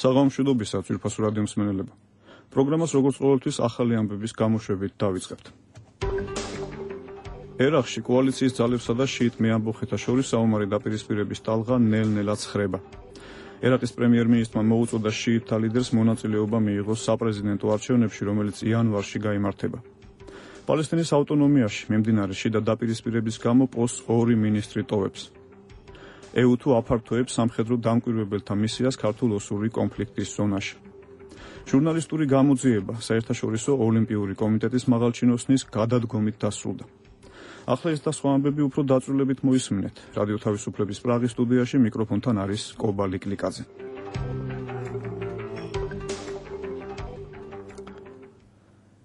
საღამომშვიდობისა, ძვირფასო რადიო მსმენელებო. პროგრამას როგორც ყოველთვის ახალი ამბების გამოშვებით დავიწყებთ. ერაყში კოალიციის ძალებსა და შიიტ მეამბოხეთა შორის საომარი დაპირისპირების ტალღა ნელ-ნელად ცხრება. ერაყის პრემიერ-მინისტრმა მოუწოდა შიიტთა ლიდერს მონაწილეობა მიიღოს საპრეზიდენტო არჩევნებში, რომელიც იანვარში გაიმართება. პალესტინის ავტონომიაში მიმდინარე შიდა დაპირისპირების გამო პოსტს 2 მინისტრი ტოვებს. EU-თუ აფართოებს სამხედრო დამკვირვებელთა მისიას ქართულ-ოსური კონფლიქტის ზონაში. ჟურნალისტური გამოძიება საერთაშორისო ოლიმპიური კომიტეტის მაღალჩინოსნის გადადგომით დასრულდა. ახლა ეს და სხვა ამბები უფრო დაწვრილებით მოისმინეთ. რადიო თავისუფლების პრაღის სტუდიაში მიკროფონთან არის კობალი კლიკაძე.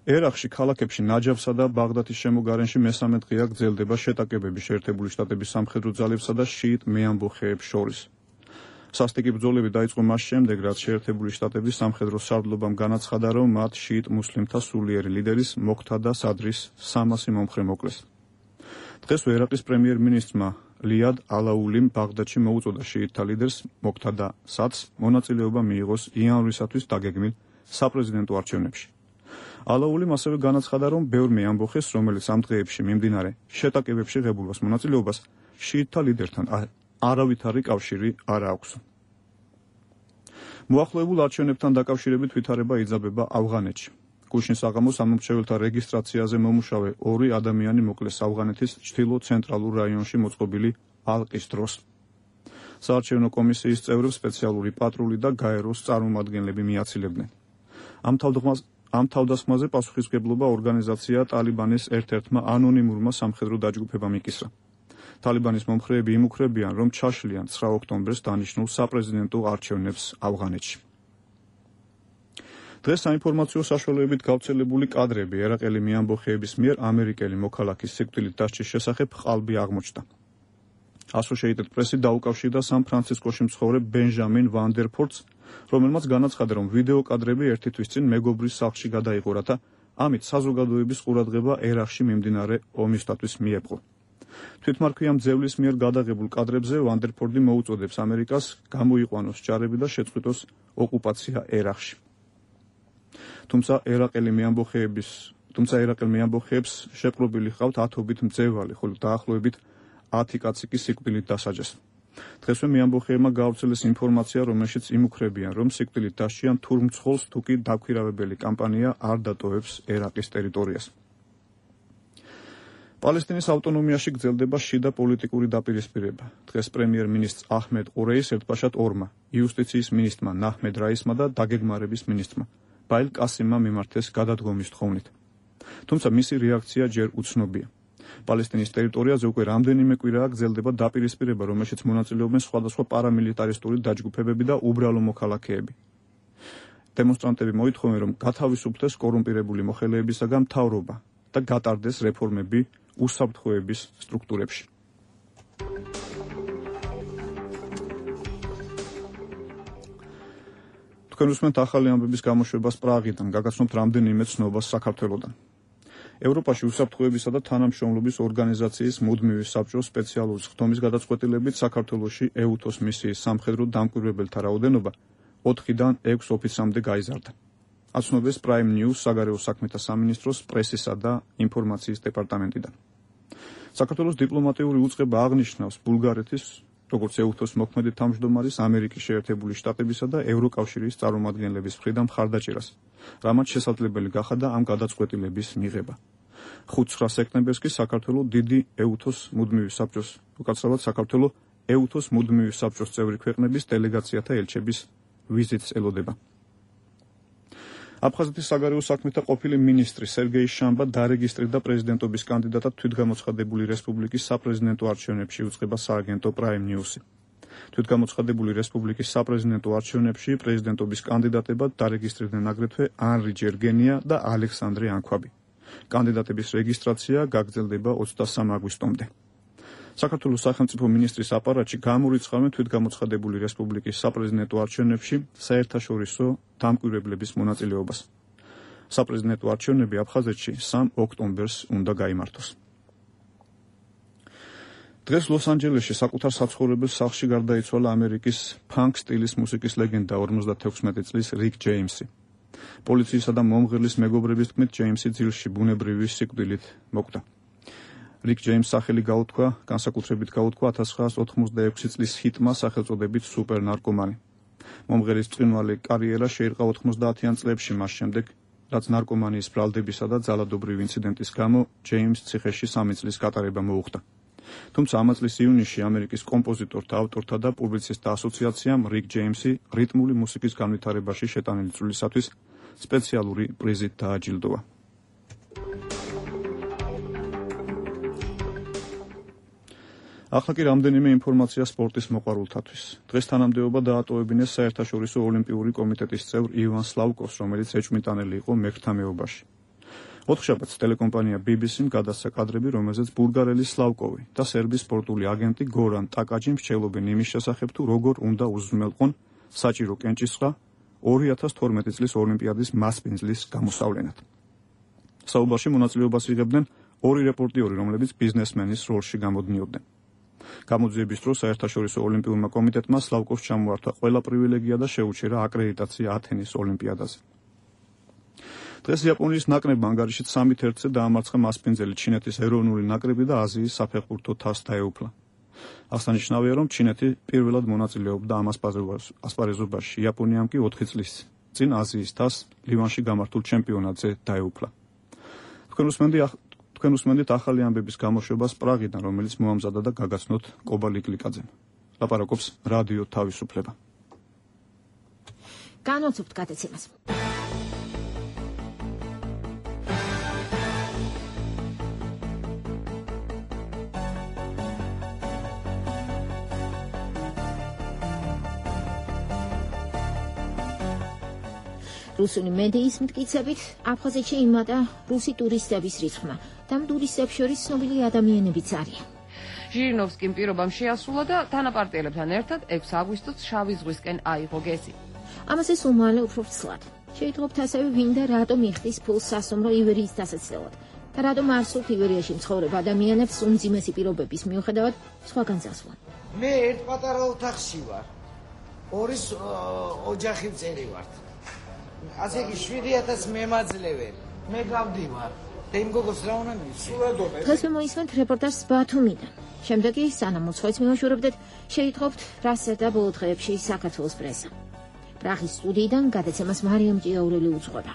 ერაყში ქალაქებში ნაჯაფსა და ბაღდადის შემოგარენში მესამე დღეა გრძელდება შეტაკებები შეერთებული შტატების სამხედრო ძალებსა და შიიტ მეამბოხეებს შორის. სასტიკი ბრძოლები დაიწყო მას შემდეგ, რაც შეერთებული შტატების სამხედრო სარდლობამ განაცხადა, რომ მათ შიიტ მუსლიმთა სულიერი ლიდერის მოქთადა სადრის 300 მომხრე მოკლეს. დღესვე ერაყის პრემიერ-მინისტრმა ლიად ალაულიმ ბაღდადში მოუწოდა შიიტთა ლიდერს მოქთადა სადს მონაწილეობა მიიღოს იანვრისათვის დაგეგმილ საპრეზიდენტო არჩევნებში. ალაულიმ ასევე განაცხადა, რომ ბევრ მეამბოხეს, რომელიც ამ დღეებში მიმდინარე შეტაკებებში ღებულობს მონაწილეობას, შიიტთა ლიდერთან არავითარი კავშირი არ აქვს. მოახლოებულ არჩევნებთან დაკავშირებით ვითარება იძაბება ავღანეთში. გუშინ საღამოს ამომრჩეველთა რეგისტრაციაზე მომუშავე 2 ადამიანი მოკლეს ავღანეთის ჩრდილო-ცენტრალურ რაიონში მოწყობილი ალყის დროს. საარჩევნო კომისიის წევრებს სპეციალური პატრული და გაეროს წარმომადგენლები მიაცილებდნენ. ამ თავდასხმაზე პასუხისმგებლობა ორგანიზაცია ტალიბანის ერთ-ერთმა ანონიმურმა სამხედრო დაჯგუფებამ იკისრა. ტალიბანის მომხრეები იმუქრებიან, რომ ჩაშლიან 9 ოქტომბერს დანიშნულ საპრეზიდენტო არჩევნებს ავღანეთში. დღეს საინფორმაციო საშუალებებით გავრცელებული კადრები ერაყელი მეამბოხეების მიერ ამერიკელი მოქალაქის სიკვდილით დასჯის შესახებ ყალბი აღმოჩნდა. Associated Press დაუკავშირდა სან-ფრანცისკოში მცხოვრებ ბენჟამინ ვანდერფორდს, რომელმაც განაცხადა, რომ ვიდეო კადრები ერთი თვის წინ მეგობრის სახლში გადაიღო, რათა ამით საზოგადოების ყურადღება ერაყში მიმდინარე ომისათვის მიეპყრო. თვითმარქვია მძევლის მიერ გადაღებულ კადრებზე ვანდერფორდი მოუწოდებს ამერიკას გამოიყვანოს ჯარები და შეწყვიტოს ოკუპაცია ერაყში. თუმცა ერაყელ მეამბოხეებს შეპყრობილი ჰყავთ 10-ობით მძევალი, ხოლო დაახლოებით 10 კაცი კი სიკვდილით დასაჯეს. დღესვე მეამბოხეებმა გაავრცელეს ინფორმაცია, რომელშიც იმუქრებიან, რომ სიკვდილით დასჯიან თურმცხოლს თუ კი დაქვირავებელი კამპანია არ დატოვებს ერაყის ტერიტორიას. პალესტინის ავტონომიაში გრძელდება შიდა პოლიტიკური დაპირისპირება. დღეს პრემიერ-მინისტრ აჰმედ ყურეის ერთბაშად 2-მა, იუსტიციის მინისტრმა ნაჰმედ რაისმა და დაგეგმარების მინისტრმა ბაილ კასიმმა მიმართეს გადადგომის თხოვნით. თუმცა მისი რეაქცია ჯერ უცნობია. პალესტინის ტერიტორიაზე უკვე რამდენიმე კვირაა გრძელდება დაპირისპირება, რომელშიც მონაწილეობენ სხვადასხვა პარამილიტარისტული დაჯგუფებები და უბრალო მოქალაქეები. დემონსტრანტები მოითხოვენ, რომ გათავისუფლდეს კორუმპირებული მოხელეებისაგან მთავრობა და გატარდეს რეფორმები უსაფრთხოების სტრუქტურებში. თქვენ უსმენთ ახალი ამბების გამოშვებას პრაღიდან, გაგაცნობთ რამდენიმე ცნობას საქართველოდან. ევროპაში უსაფრთხოებისა და თანამშრომლობის ორგანიზაციის მუდმივი საბჭოს სპეციალური ხდომის გადაწყვეტილებით საქართველოში EUTOS მისიის სამხედრო დამკვირვებელთა რაოდენობა 4-დან 6 ოფიცრამდე გაიზარდა. აცნობეს Prime News საგარეო საქმეთა სამინისტროს პრესისა და ინფორმაციის დეპარტამენტიდან. საქართველოს დიპლომატიური უწყება აღნიშნავს ბულგარეთის, როგორც EUTOS მოქმედი თავმჯდომარის, ამერიკის შეერთებული შტატებისა და ევროკავშირის წარმომადგენლების მხრიდან მხარდაჭერას, რამაც შესაძლებელი გახადა ამ გადაწყვეტილების მიღება. 5-9 სექტემბერს კი საქართველოს დიდი EUTOS მუდმივი საბჭოს, უკაცრავად საქართველოს EUTOS მუდმივი საბჭოს წევრი ქვეყნების დელეგაციათა ელჩების ვიზიტს ელოდება. აფხაზეთის საგარეო საქმეთა ყოფილი მინისტრი სერგეი შამბა დარეგისტრირდა პრეზიდენტობის კანდიდატად თვითგამოცხადებული რესპუბლიკის საპრეზიდენტო არჩევნებში, უწყება სააგენტო Prime News-ი. თვითგამოცხადებული რესპუბლიკის საპრეზიდენტო არჩევნებში პრეზიდენტობის კანდიდატებად დარეგისტრირდნენ აგრეთვე ანრი ჯერგენია და ალექსანდრე ანქვაბი. კანდიდატების რეგისტრაცია გაგრძელდება 23 აგვისტომდე. საქართველოს სახელმწიფო მინისტრის აპარატში გამორიცხავენ თვითგამოცხადებული რესპუბლიკის საპრეზიდენტო არჩევნებში საერთაშორისო დამკვირვებლების მონაწილეობას. საპრეზიდენტო არჩევნები აფხაზეთში 3 ოქტომბერს უნდა გაიმართოს. დღეს ლოს-ანჯელესში საკუთარ საცხოვრებელ სახლში გარდაიცვალა ამერიკის ფანკ სტილის მუსიკის ლეგენდა 56 წლის რიკ ჯეიმსი. პოლიციისა და მომღერლის მეგობრების თქმით, ჯეიმსი ძილში ბუნებრივი სიკვდილით მოკვდა. რიკ ჯეიმს სახელი განსაკუთრებით გაუთქვა 1986 წლის ჰიტმა სახელწოდებით სუპერ ნარკომანი. მომღერის ბრწყინვალე კარიერა შეირყა 90-იან წლებში მას შემდეგ, რაც ნარკომანიის ბრალდებისა და ძალადობრივი ინციდენტის გამო ჯეიმს ციხეში 3 წლის გატარება მოუხდა. თუმცა ამ წლის ივნისში ამერიკის კომპოზიტორთა, ავტორთა და პუბლიცისტთა ასოციაციამ რიკ ჯეიმსი რიტმული მუსიკის განვითარებაში შეტანილი წვლილისათვის სპეციალური პრიზით დააჯილდოვა. ახლა კი რამდენიმე ინფორმაცია სპორტის მოყვარულთათვის. დღეს თანამდებობა დაატოვებინეს საერთაშორისო ოლიმპიური კომიტეტის წევრ ივან სლავკოვს, რომელიც ეჭვმიტანელი იყო მერქთა მეუბაში. ოთხშაბათს ტელეკომპანია BBC-მ გადასცა კადრები, რომელზეც ბულგარელი სლავკოვი და სერბის სპორტული აგენტი გორან ტაკაჯი მსჯელობენ იმის შესახებ, თუ როგორ უნდა უზრუნველყონ საჭირო კენჭისყრა 2012 წლის ოლიმპიადის მასპინძლის გამოსავლენად. საუბარში მონაწილეობას იღებდნენ 2 რეპორტიორი, რომლებიც ბიზნესმენის როლში გამოდნიოდნენ. გამოძიების დროს საერთაშორისო ოლიმპიურმა კომიტეტმა სლავკოვს ჩამოართვა ყველა პრივილეგია და შეუჩერა აკრედიტაცია ათენის ოლიმპიადაზე. დღეს იაპონიის ნაკრებმა ანგარიშით 3-1-ზე დაამარცხა მასპინძელი ჩინეთის ეროვნული ნაკრები და აზიის საფეხბურთო თასს დაეუფლა. აღსანიშნავია, რომ ჩინეთი პირველად მონაწილეობდა ამ ასპარეზობაში, იაპონიამ კი 4 წლის წინ აზიის თასს ლივანში გამართულ ჩემპიონატზე დაეუფლა. თქვენ უსმენთ ახალი ამბების გამოშვებას პრაღიდან, რომელიც მოამზადა და გაგაცნოთ კობა ლიკლიკაძემ. ლაპარაკობს რადიო თავისუფლება. განვაცობთ გადაცემას. რუსული მედიის მტკიცებით, აფხაზეთში იმატა რუსი ტურისტების რიცხვმა და ამ ტურისტებს შორის ცნობილი ადამიანებიც არიან. ჟირინოვსკიმ პირობამ შეასრულა და თანაპარტიელებთან ერთად 6 აგვისტოს შავი ზღვისკენ აიღო გეზი. ამაზე სულ მალე უფრო ვცლად. შეიტყობთ ასევე, ვინ და რატომ იხდის ფულს სასტუმრო ივერიის დასაცდელად და რატომ არ სურთ ივერიაში მცხოვრებ ადამიანებს უმძიმესი პირობების მიუხედავად სხვაგან წასვლა. მე ერთ პატარა ოთახში ვარ. 2 ოჯახი წერი ვართ. ასე კი 7000 მემაძლეველი. მე გავდივარ. და იმ გოგოს რა უნდა მივცი? დღეს მოისმენთ რეპორტაჟს ბათუმიდან. შემდეგ კი სანამ უცხოეთს მივაშორებდეთ, შეიტყობთ, რა სერდა ბოლო დღეებში საქართველოს პრესა. პრაღის სტუდიიდან გადაცემას მარიამ ჭიაურელი უძღვება.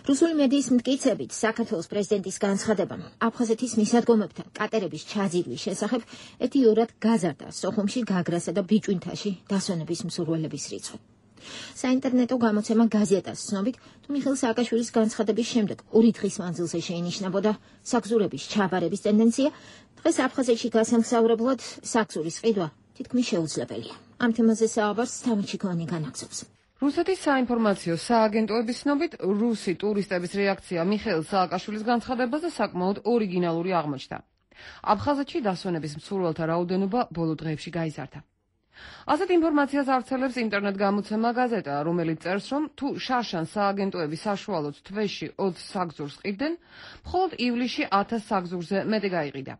რუსული მედიის მტკიცებით, საქართველოს პრეზიდენტის განცხადებამ აფხაზეთის მისადგომებთან კატერების ჩაძირვის შესახებ ეთიურად გაზარდა სოხუმში, გაგრასა და ბიჭვინთაში დასვენების მსურველების რიცხვი. საინტერნეტო გამოცემა გაზეტას ცნობით, თუ მიხეილ სააკაშვილის განცხადების შემდეგ 2 დღის მანძილზე შეინიშნებოდა საგზურების ჩაბარების ტენდენცია, დღეს აფხაზეთში გასამგზავრებლად საგზურის ყიდვა თითქმის შეუძლებელია. ამ თემაზე საუბარს თამაჩიკოვანი განაგზობს. რუსეთის საინფორმაციო სააგენტოების ცნობით, რუსი ტურისტების რეაქცია მიხეილ სააკაშვილის განცხადებაზე საკმაოდ ორიგინალური აღმოჩნდა. აფხაზეთში დასვენების მსურველთა რაოდენობა ბოლო დღეებში გაიზარდა. ასეთ ინფორმაციას ავრცელებს ინტერნეტ გამოცემა გაზეტა, რომელიც წერს, რომ თუ შარშან სააგენტოები საშუალოდ თვეში 20 საგზურს ყიდდნენ, მხოლოდ ივლისში 1000 საგზურზე მეტი გაიყიდა.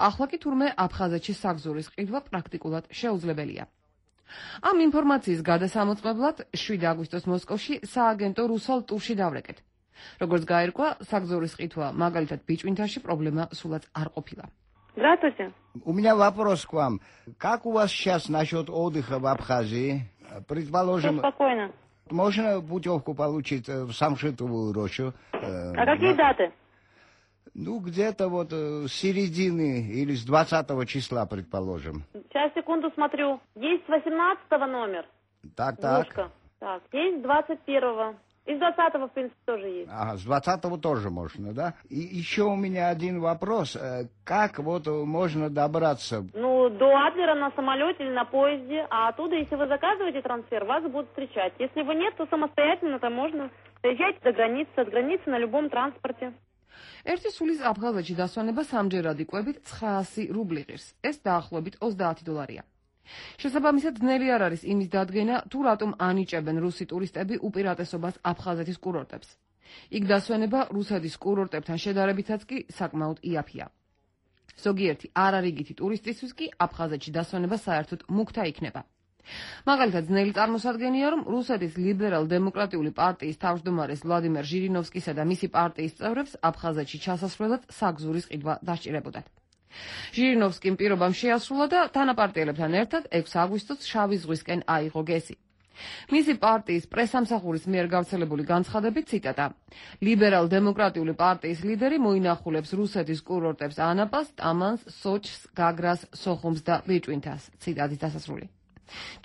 ახლა კი თურმე აფხაზეთში საგზურის ყიდვა პრაქტიკულად შეუძლებელია. ამ ინფორმაციის გადასამოწმებლად 7 აგვისტოს მოსკოვში სააგენტო რუსულ ტურში დავრეკეთ. როგორც გაირკვა, საგზურის ყიდვა მაგალითად ბიჭვინთაში პრობლემა სულაც არ ყოფილა. Здравствуйте. У меня вопрос к вам. Как у вас сейчас насчет отдыха в Абхазии? Предположим, Спокойно. можно путевку получить в Самшитовую рощу? А какие даты? Ну, где-то вот с середины или с 20 числа, предположим. Сейчас, секунду, смотрю. Есть 18 номер. Так. Двушка. Так, есть 21-го. И с 20-го, в принципе, тоже есть. Ага, с 20-го тоже можно, да? И еще у меня один вопрос. Как вот можно добраться? Ну, до Адлера на самолете или на поезде. А оттуда, если вы заказываете трансфер, вас будут встречать. Если вы нет, то самостоятельно там можно доезжать до границы, от границы на любом транспорте. ერთი სულის აფხაზეთში დასვენება 3-ჯერადი კვებით 900 რუბლი ღირს. ეს დაახლოებით $30. შესაბამისად, ძნელი არ არის იმის დადგენა, თუ რატომ ანიჭებენ რუსი ტურისტები უპირატესობას აფხაზეთის კურორტებს. იქ დასვენება რუსეთის კურორტებთან შედარებითაც კი საკმაოდ იაფია. ზოგიერთი არარიგითი ტურისტისთვის კი აფხაზეთში დასვენება საერთოდ მუქთა იქნება. მაგალითად, ძნელი წარმოსადგენია, რომ რუსეთის ლიბერალ-დემოკრატიული პარტიის თავმჯდომარეს ვლადიმერ ჟირინოვსკისა და მისი პარტიის წევრებს აფხაზეთში ჩასასვლელად საგზურის ყიდვა დასჭირებოდათ. ჟირინოვსკიმ პირობამ შეასრულა და თანაპარტიელებთან ერთად 6 აგვისტოს შავი ზღვისკენ აიღო გესი. მისი პარტიის პრესამსახურის მიერ გავრცელებული განცხადებით ციტატა: ლიბერალ-დემოკრატიული პარტიის ლიდერი მოინახულებს რუსეთის კურორტებს ანაპას, ტამანს, სოჩს, გაგრას, სოხუმს და ბიჭვინთას. ციტატის დასასრული.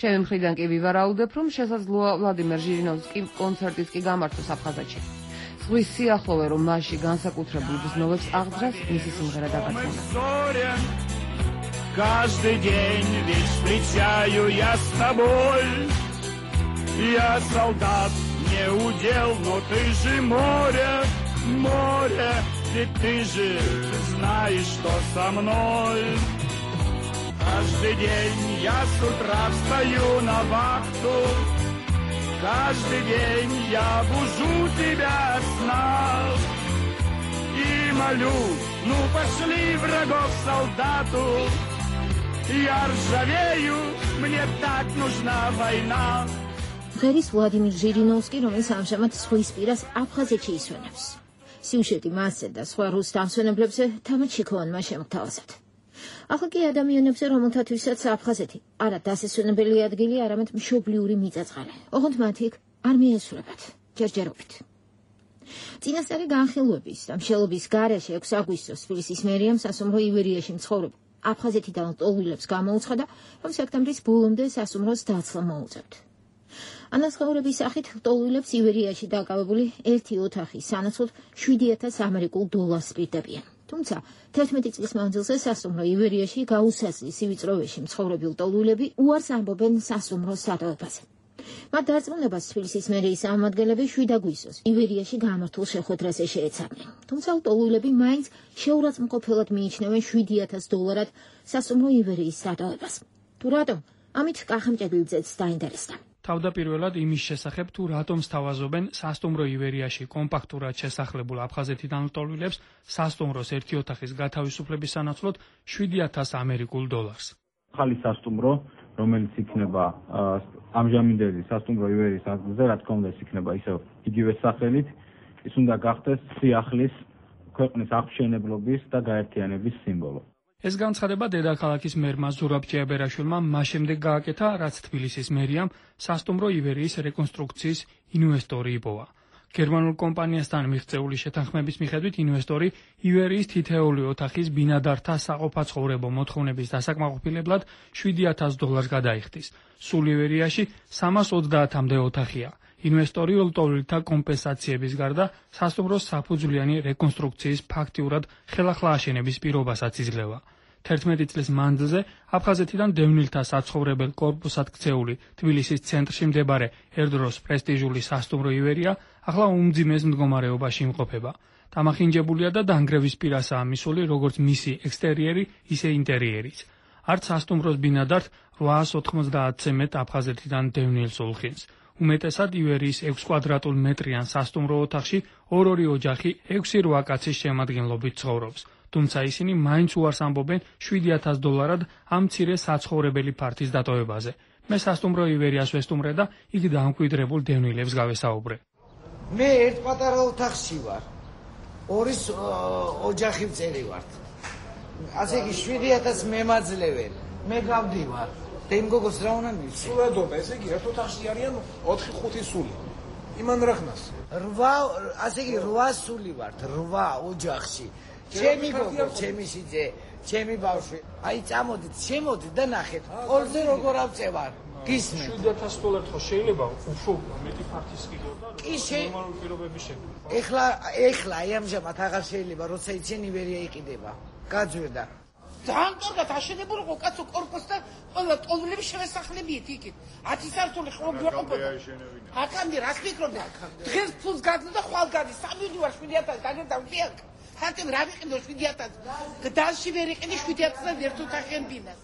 ჩემი მხრიდან კი ვივარაუდებ, რომ შესაძლოა ვლადიმერ ჟირინოვსკიმ კონცერტიც კი გამართოს აფხაზეთში. ზღვის სიახლოვე, რომ მასში განსაკუთრებულ ბრძნოვებს აღძრას, მისი სიმღერა დაგაცნობა. Каждый день ведь встречаю я с тобой. Я солдат, не удел, но ты же море, море, ведь ты же знаешь, что со мной. Каждый день я с утра встаю на вахту, каждый день я бужу тебя сна и молю, ну пошли врагов солдату, я ржавею, мне так нужна война. ღერის ვლადიმერ ჟირინოვსკი, რომელიც ამჟამად ზღვის პირას აფხაზეთში ისვენებს. სიუჟეტი მასზე და სხვა რუს დამსვენებლებზე თამარ ჩიქოვანმა შემოგთავაზა. ახლა კი ადამიანებზე, რომელთათვისაც აფხაზეთი არა დასასვენებელი ადგილი, არამედ მშობლიური მიწა-წყალი. ოღონდ მათ იქ არ მიესურვებათ ჯერჯერობით. წინასწარი განხილვების და მშელობის გარეშე 6 აგვისტოს თბილისის მერიამ სასუმრო ივერიაში მცხოვრებულ აფხაზეთიდან ლტოლვილებს გამოუცხადა, რომ სექტემბრის ბოლომდე სასუმროს დაცლა მოუწევთ. ანაცხოვრების სახით ლტოლვილებს ივერიაში დაკავებული ერთი ოთახის სანაცვლოდ $7,000 ამერიკულ დოლარს პირდებიან. თუმცა 11 წლის მანძილზე სასუმრო ივერიაში გაუსაზღვის სივიწროვეში მცხოვრები ლტოლვილები უარს ამბობენ სასუმროს სადავებაზე. მათ დარწმუნებას თბილისის მერიის წარმომადგენლები 7 აგვისტოს ივერიაში გამართულ შეხვედრაზე შეეცადნენ. თუმცა ლტოლვილები მაინც შეურაცხმყოფელად მიიჩნევენ $7,000 სასუმრო ივერიის სადავებას. თუ რატომ? ამით კახამჭედლიძეც დაინტერესდა. თავდაპირველად იმის შესახებ, თუ რატომ სთავაზობენ სასტუმრო ივერიაში კომპაქტურად შესახლებულ აფხაზეთიდან ლტოლვილებს სასტუმროს ერთი ოთახის გათავისუფლების სანაცვლოდ $7,000 ამერიკულ დოლარს. ახალი სასტუმრო, რომელიც იქნება ამჟამინდელი სასტუმრო ივერიის ადგილზე, რა თქმა უნდა, ის იქნება ისევ იგივე სახელით, ის უნდა გახდეს სიახლის, ქვეყნის აღმშენებლობის და გაერთიანების სიმბოლო. ეს განცხადება დედაქალაქის მერმა ზურაბ ჭიაბერაშვილმა მას შემდეგ გააკეთა, რაც თბილისის მერიამ სასტუმრო ივერიის რეკონსტრუქციის ინვესტორი იპოვა. გერმანულ კომპანიასთან მიღწეული შეთანხმების მიხედვით ინვესტორი ივერიის თითეული ოთახის ბინადართა საყოფაცხოვრებო მოთხოვნების დასაკმაყოფილებლად $7,000 გადაიხდის. სულ ივერიაში 330-მდე ოთახია. ინვესტორი ლტოლვილთა კომპენსაციების გარდა სასტუმროს საფუძვლიანი რეკონსტრუქციის ფაქტიურად ხელახლა აშენების პირობასაც იძლევა. 11 წლის მანძილზე აფხაზეთიდან დევნილთა საცხოვრებელ კორპუსად ქცეული თბილისის ცენტრში მდებარე ერდროს პრესტიჟული სასტუმრო ივერია ახლა უმძიმეს მდგომარეობაში იმყოფება. დამახინჯებულია და დანგრევის პირასაა მისული როგორც მისი ექსტერიერი, ისე ინტერიერიც. არც სასტუმროს ბინადართ 890-ზე მეტ აფხაზეთიდან დევნილს ულხინს. უმეტესად ივერიის 6 კვადრატულ მეტრიან სასტუმრო ოთახში 2 ოჯახი 6-8 კაცის შემადგენლობით ცხოვრობს. თუმცა ისინი მაინც უარს ამბობენ $7,000 ამ მცირე საცხოვრებელი ფართის დატოვებაზე. მე სასტუმრო ივერიას ვესტუმრე და იქ დამკვიდრებულ დევნილებს გავესაუბრე. მე ერთ პატარა ოთახში ვარ. 2 ოჯახი ვწერივართ. ასე იგი 7,000 მემაძლევენ. მე გავდივარ. და იმ გოგოს რა უნდა მივცე? სულადობა, ესე იგი ერთ ოთახში არიან 4-5 სული. იმან რახნას. 8, ასე იგი 8 სული ვართ, 8 ოჯახში. ჩემი გოგო, ჩემი სიძე, ჩემი ბავშვი. აი წამოდით, შემოდით და ნახეთ. ყველზე როგორ ავწევარ. გისმენთ? $7,000 ხო შეიძლება უფრო მეტი ფართის კიდევ და ნორმალური პირობების შექმნა. ეხლა აი ამჟამად აღარ შეიძლება, როცა იციან ივერია იყიდება. გაძვირდა. ძალიან კარგად აშენებული იყო კაცო კორპუსი და ყველა ტოლვილები შევესახლებიეთ იქით. 10 სართული ხო გვეყოფოდა. აქამდე რას ფიქრობდი? დღეს ფულს გაგზავნა და ხვალ გადის. 3 ვარ 7,000 დაგერდავდიაკ. ხანტემ რა ვიყიდო 7,000. დასში ვერ იყიდი 7,000 ერთ ოთახიან ბინას.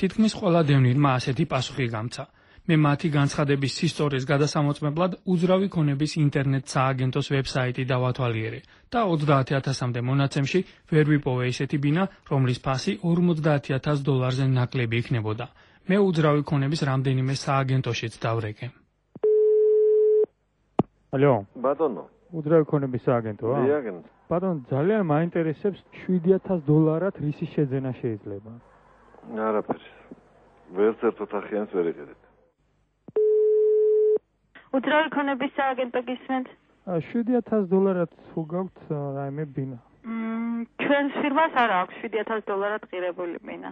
თითქმის ყველა დევნილმა ასეთი პასუხი გამცა. მე მათი განცხადების სისწორეს გადასამოწმებლად უძრავი ქონების ინტერნეტ სააგენტოს ვებსაიტი დავათვალიერე და 30,000-მდე მონაცემში ვერ ვიპოვე ისეთი ბინა, რომლის ფასი $50,000-ზე ნაკლები იქნებოდა. მე უძრავი ქონების რამდენიმე სააგენტოშიც დავრეკე. ალო, ბატონო. უძრავი ქონების სააგენტოა? დიაგნოზი. ბატონო, ძალიან მაინტერესებს $7,000 რისი შეძენა შეიძლება? არაფერი. ვერც ერთ ოთახიანს ვერ იყიდეთ. უძრავი ქონების სააგენტო გისმენთ? $7,000 თუ გაქვთ რაიმე ბინა? ჩვენს ფირმას არ აქვს $7,000 ღირებული ბინა.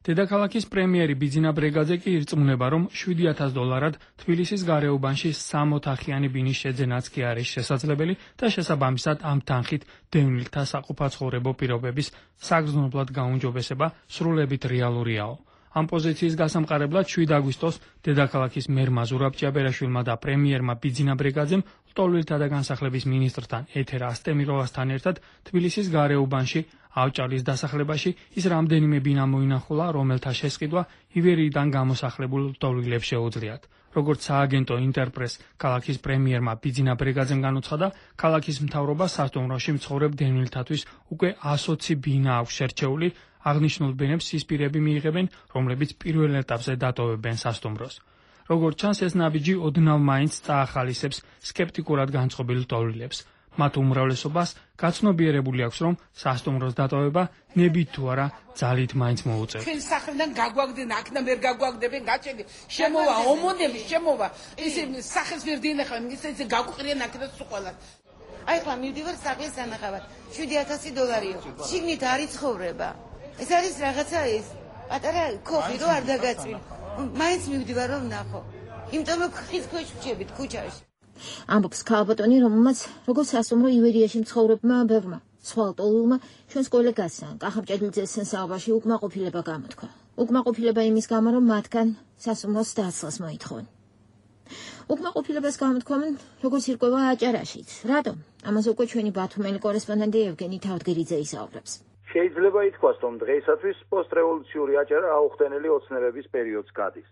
დედაქალაქის პრემიერი ბიძინა ბრეგაძე კი ირწმუნება, რომ $7,000 თბილისის გარეუბანში 3 ოთახიანი ბინის შეძენაც კი არის შესაძლებელი და შესაბამისად ამ თანხით დევნილთა საყოფაცხოვრებო პირობების საგრძნობლად გაუმჯობესება სრულებით რეალურიაო. ამ პოზიციის გასამყარებლად 7 აგვისტოს დედაქალაქის მერმა ზურაბ ჭიაბერაშვილმა და პრემიერმა ბიძინა ბრეგაძემ ლტოლვილთა და განსახლების მინისტრთან ეთერ ასტემიროვასთან ერთად თბილისის გარეუბანში ავჭალის დასახლებაში ის რამდენიმე ბინა მოინახულა, რომელთა შესყიდვა ივერიიდან გამოსახლებულ ლტოლვილებს შეუძლიათ. როგორც სააგენტო ინტერპრეს ქალაქის პრემიერმა ბიძინა ბრეგაძემ განუცხადა, ქალაქის მთავრობა სასტუმროში მცხოვრებ დევნილთათვის უკვე 120 ბინა აქვს შერჩეული, აღნიშნულ ბენებს ის პირები მიიღებენ, რომლებიც პირველ ეტაპზე დატოვებენ სასტუმროს. როგორც ჩანს, ეს ნაბიჯი ოდნავ მაინც წაახალისებს სკეპტიკურად განწყობილ ლტოლვილებს. მათ უმრავლესობას გაცნობიერებული აქვს, რომ სასტუმროს დატოვება ნებით თუ არა ძალით მაინც მოუწევს. ჩვენ სახლიდან გაგვაგდნენ, აქნა ვერ გაგვაგდებენ, გაჩენდი. შემოვა ომონები, შემოვა. ისე სახეს ვერ დინახავენ, ისე გაგვყრიან აქ და სულ ყველა. აი ხლა მივდივარ სახლის სანახავად. $7,000-იო. შიგნით არის ცხოვრება. ეს არის რაღაცა ის პატარა ქოხი რო არ დაგაწვინ. მაინც მივდივარ რომ ნახო. იმიტომ რომ ხის ქვეშ ვჭებით ქუჩაში. ამბობს ქალბატონი, რომელმაც როგორც სასტუმრო ივერიაში მცხოვრებმა ბევრმა სხვა ლტოლვილმა ჩვენს კოლეგასთან კახაბჭედლიძეს საუბარში უკმაყოფილება გამოთქვა. უკმაყოფილება იმის გამო, რომ მათგან სასტუმროს დაცლას მოითხოვენ. უკმაყოფილებას გამოთქვამენ, როგორც ირკვევა აჭარაშიც. რატომ? ამაზე უკვე ჩვენი ბათუმელი კორესპონდენტი ევგენი თავდგერიძე ისაუბრებს. შეიძლება ითქვას, რომ დღეისათვის პოსტრევოლუციური აჭარა აუხდენელი ოცნებების პერიოდს გადის.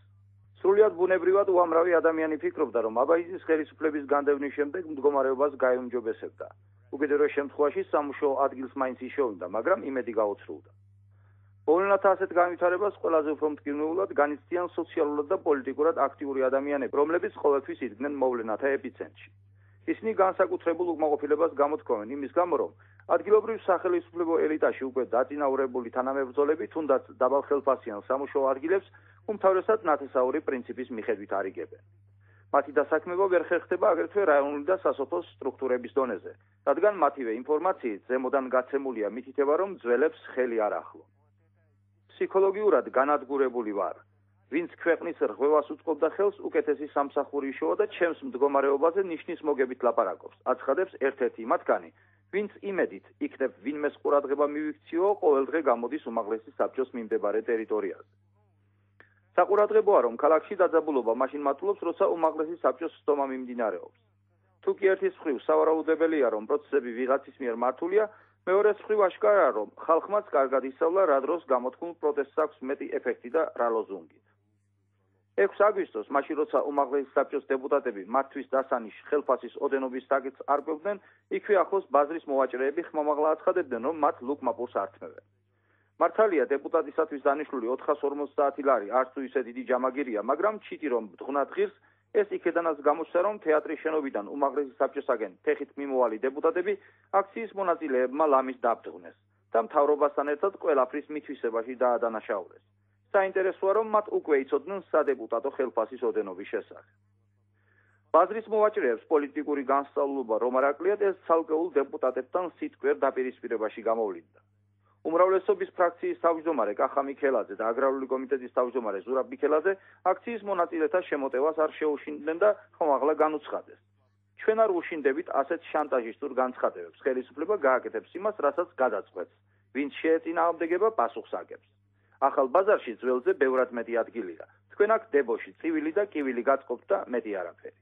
სრულიად ბუნებრივად უამრავი ადამიანი ფიქრობდა, რომ აბაიძის ხელისუფლების განდევნის შემდეგ მდგომარეობას გაეუმჯობესებდა. უკიდურეს შემთხვევაში სამუშაო ადგილს მაინც იშოვდა, მაგრამ იმედი გაოცრულდა. მოვლენათა ასეთ განვითარებას ყველაზე უფრო მტკივნეულად განიცდიან სოციალურად და პოლიტიკურად აქტიური ადამიანები, რომლებიც ყოველთვის იდგნენ მოვლენათა ეპიცენტრში. ისინი განსაკუთრებულ უკმაყოფილებას გამოთქვამენ იმის გამო, რომ ადგილობრივ სახელმწიფო ელიტაში უკვე დაწინაურებული თანამებრძოლები თუნდაც დაბალხელფასიან სამუშაო ადგილებს უმთავრესად ნათესაური პრინციპის მიხედვით არიგებენ. მათი დასაქმება ვერ ხერხდება აგრეთვე რაიონული და სასოფლო სტრუქტურების დონეზე, რადგან მათივე ინფორმაციით ზემოდან გაცემულია მითითება, რომ ძველებს ხელი არ ახლო. ფსიქოლოგიურად განადგურებული ვარ. ვინც ქვეყნის რღვევას უწყობდა ხელს, უკეთესი სამსახური იშოვა და ჩემს მდგომარეობაზე ნიშნის მოგებით ლაპარაკობს. აცხადებს ერთ-ერთი მათგანი, ვინც იმედით იქნებ ვინმეს ყურადღება მივიქციო, ყოველდღე გამოდის უმაღლესი საბჭოს მიმდებარე ტერიტორიაზე. საყურადღებოა, რომ ქალაქში დაძაბულობა მაშინ მატულობს, როცა უმაღლესი საბჭოს სტომა მიმდინარეობს. თუ კი ერთის მხრივ სავარაუდებელია, რომ პროცესები ვიღაცის მიერ მართულია, მეორეს მხრივ აშკარაა, რომ ხალხმაც კარგად ისწავლა, რა დროს გამოთქმულ პროტესტს აქვს მეტი ეფექტი და რა ლოზუნგი. 6 აგვისტოს, მაშინ როცა უმაღლესი საბჭოს დეპუტატები მათთვის დასანიშ ხელფასის ოდენობის საკითხს არკვევდნენ, იქვე ახლოს ბაზრის მოვაჭრეები ხმამაღლა აცხადებდნენ, რომ მათ ლუკმაპურს ართმევენ. მართალია დეპუტატისათვის დანიშნული 450 ლარი არც თუ ისე დიდი ჯამაგირია, მაგრამ ჩიტი რომ ბძღვნად ღირს, ეს იქედანაც გამოჩნდა, რომ თეატრის შენობიდან უმაღლესი საბჭოსაგენ ფეხით მიმოვალი დეპუტატები აქციის მონაწილეებმა ლამის დაბძღვნეს და მთავრობასთან ერთად ყველაფრის მითვისებაში დაადანაშაულეს. საინტერესოა, რომ მათ უკვე იცოდნენ სადეპუტატო ხელფასის ოდენობის შესახებ. ბაზრის მოვაჭრეებს პოლიტიკური განსწავლულობა რომ არ აკლიათ, ეს ცალკეულ დეპუტატებთან სიტყვიერ დაპირისპირებაში გამოვლინდა. უმრავლესობის ფრაქციის თავმჯდომარე კახა მიქელაძე და აგრარული კომიტეტის თავმჯდომარე ზურაბ მიქელაძე აქციის მონაწილეთა შემოტევას არ შეუშინდნენ და ხმამაღლა განუცხადეს. ჩვენ არ უშინდებით ასეთ შანტაჟისტურ განცხადებებს. ხელისუფლება გააკეთებს იმას, რასაც გადაწყვეტს. ვინც შეეწინააღმდეგება, პასუხს აგებს. ახალ ბაზარში ძველზე ბევრად მეტი ადგილია. თქვენ აქ დებოში წივილი და კივილი გაწყობთ და მეტი არაფერი.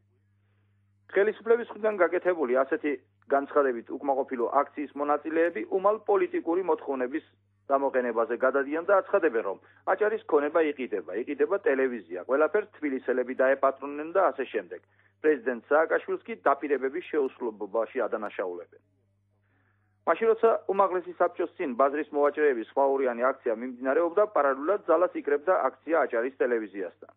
ხელისუფლების მხრიდან გაკეთებული ასეთი განცხადებით უკმაყოფილო აქციის მონაწილეები უმალ პოლიტიკური მოთხოვნების გამოყენებაზე გადადიან და აცხადებენ, რომ აჭარის ქონება იყიდება ტელევიზია, ყველაფერს თბილისელები დაეპატრონნენ და ასე შემდეგ. პრეზიდენტ სააკაშვილს კი დაპირებების შეუსრულებაში ადანაშაულებენ. მაშინ როცა უმაღლესი საბჭოს წინ ბაზრის მოვაჭრეების ხმაურიანი აქცია მიმდინარეობდა, პარალელურად ძალას იკრებდა აქცია აჭარის ტელევიზიასთან.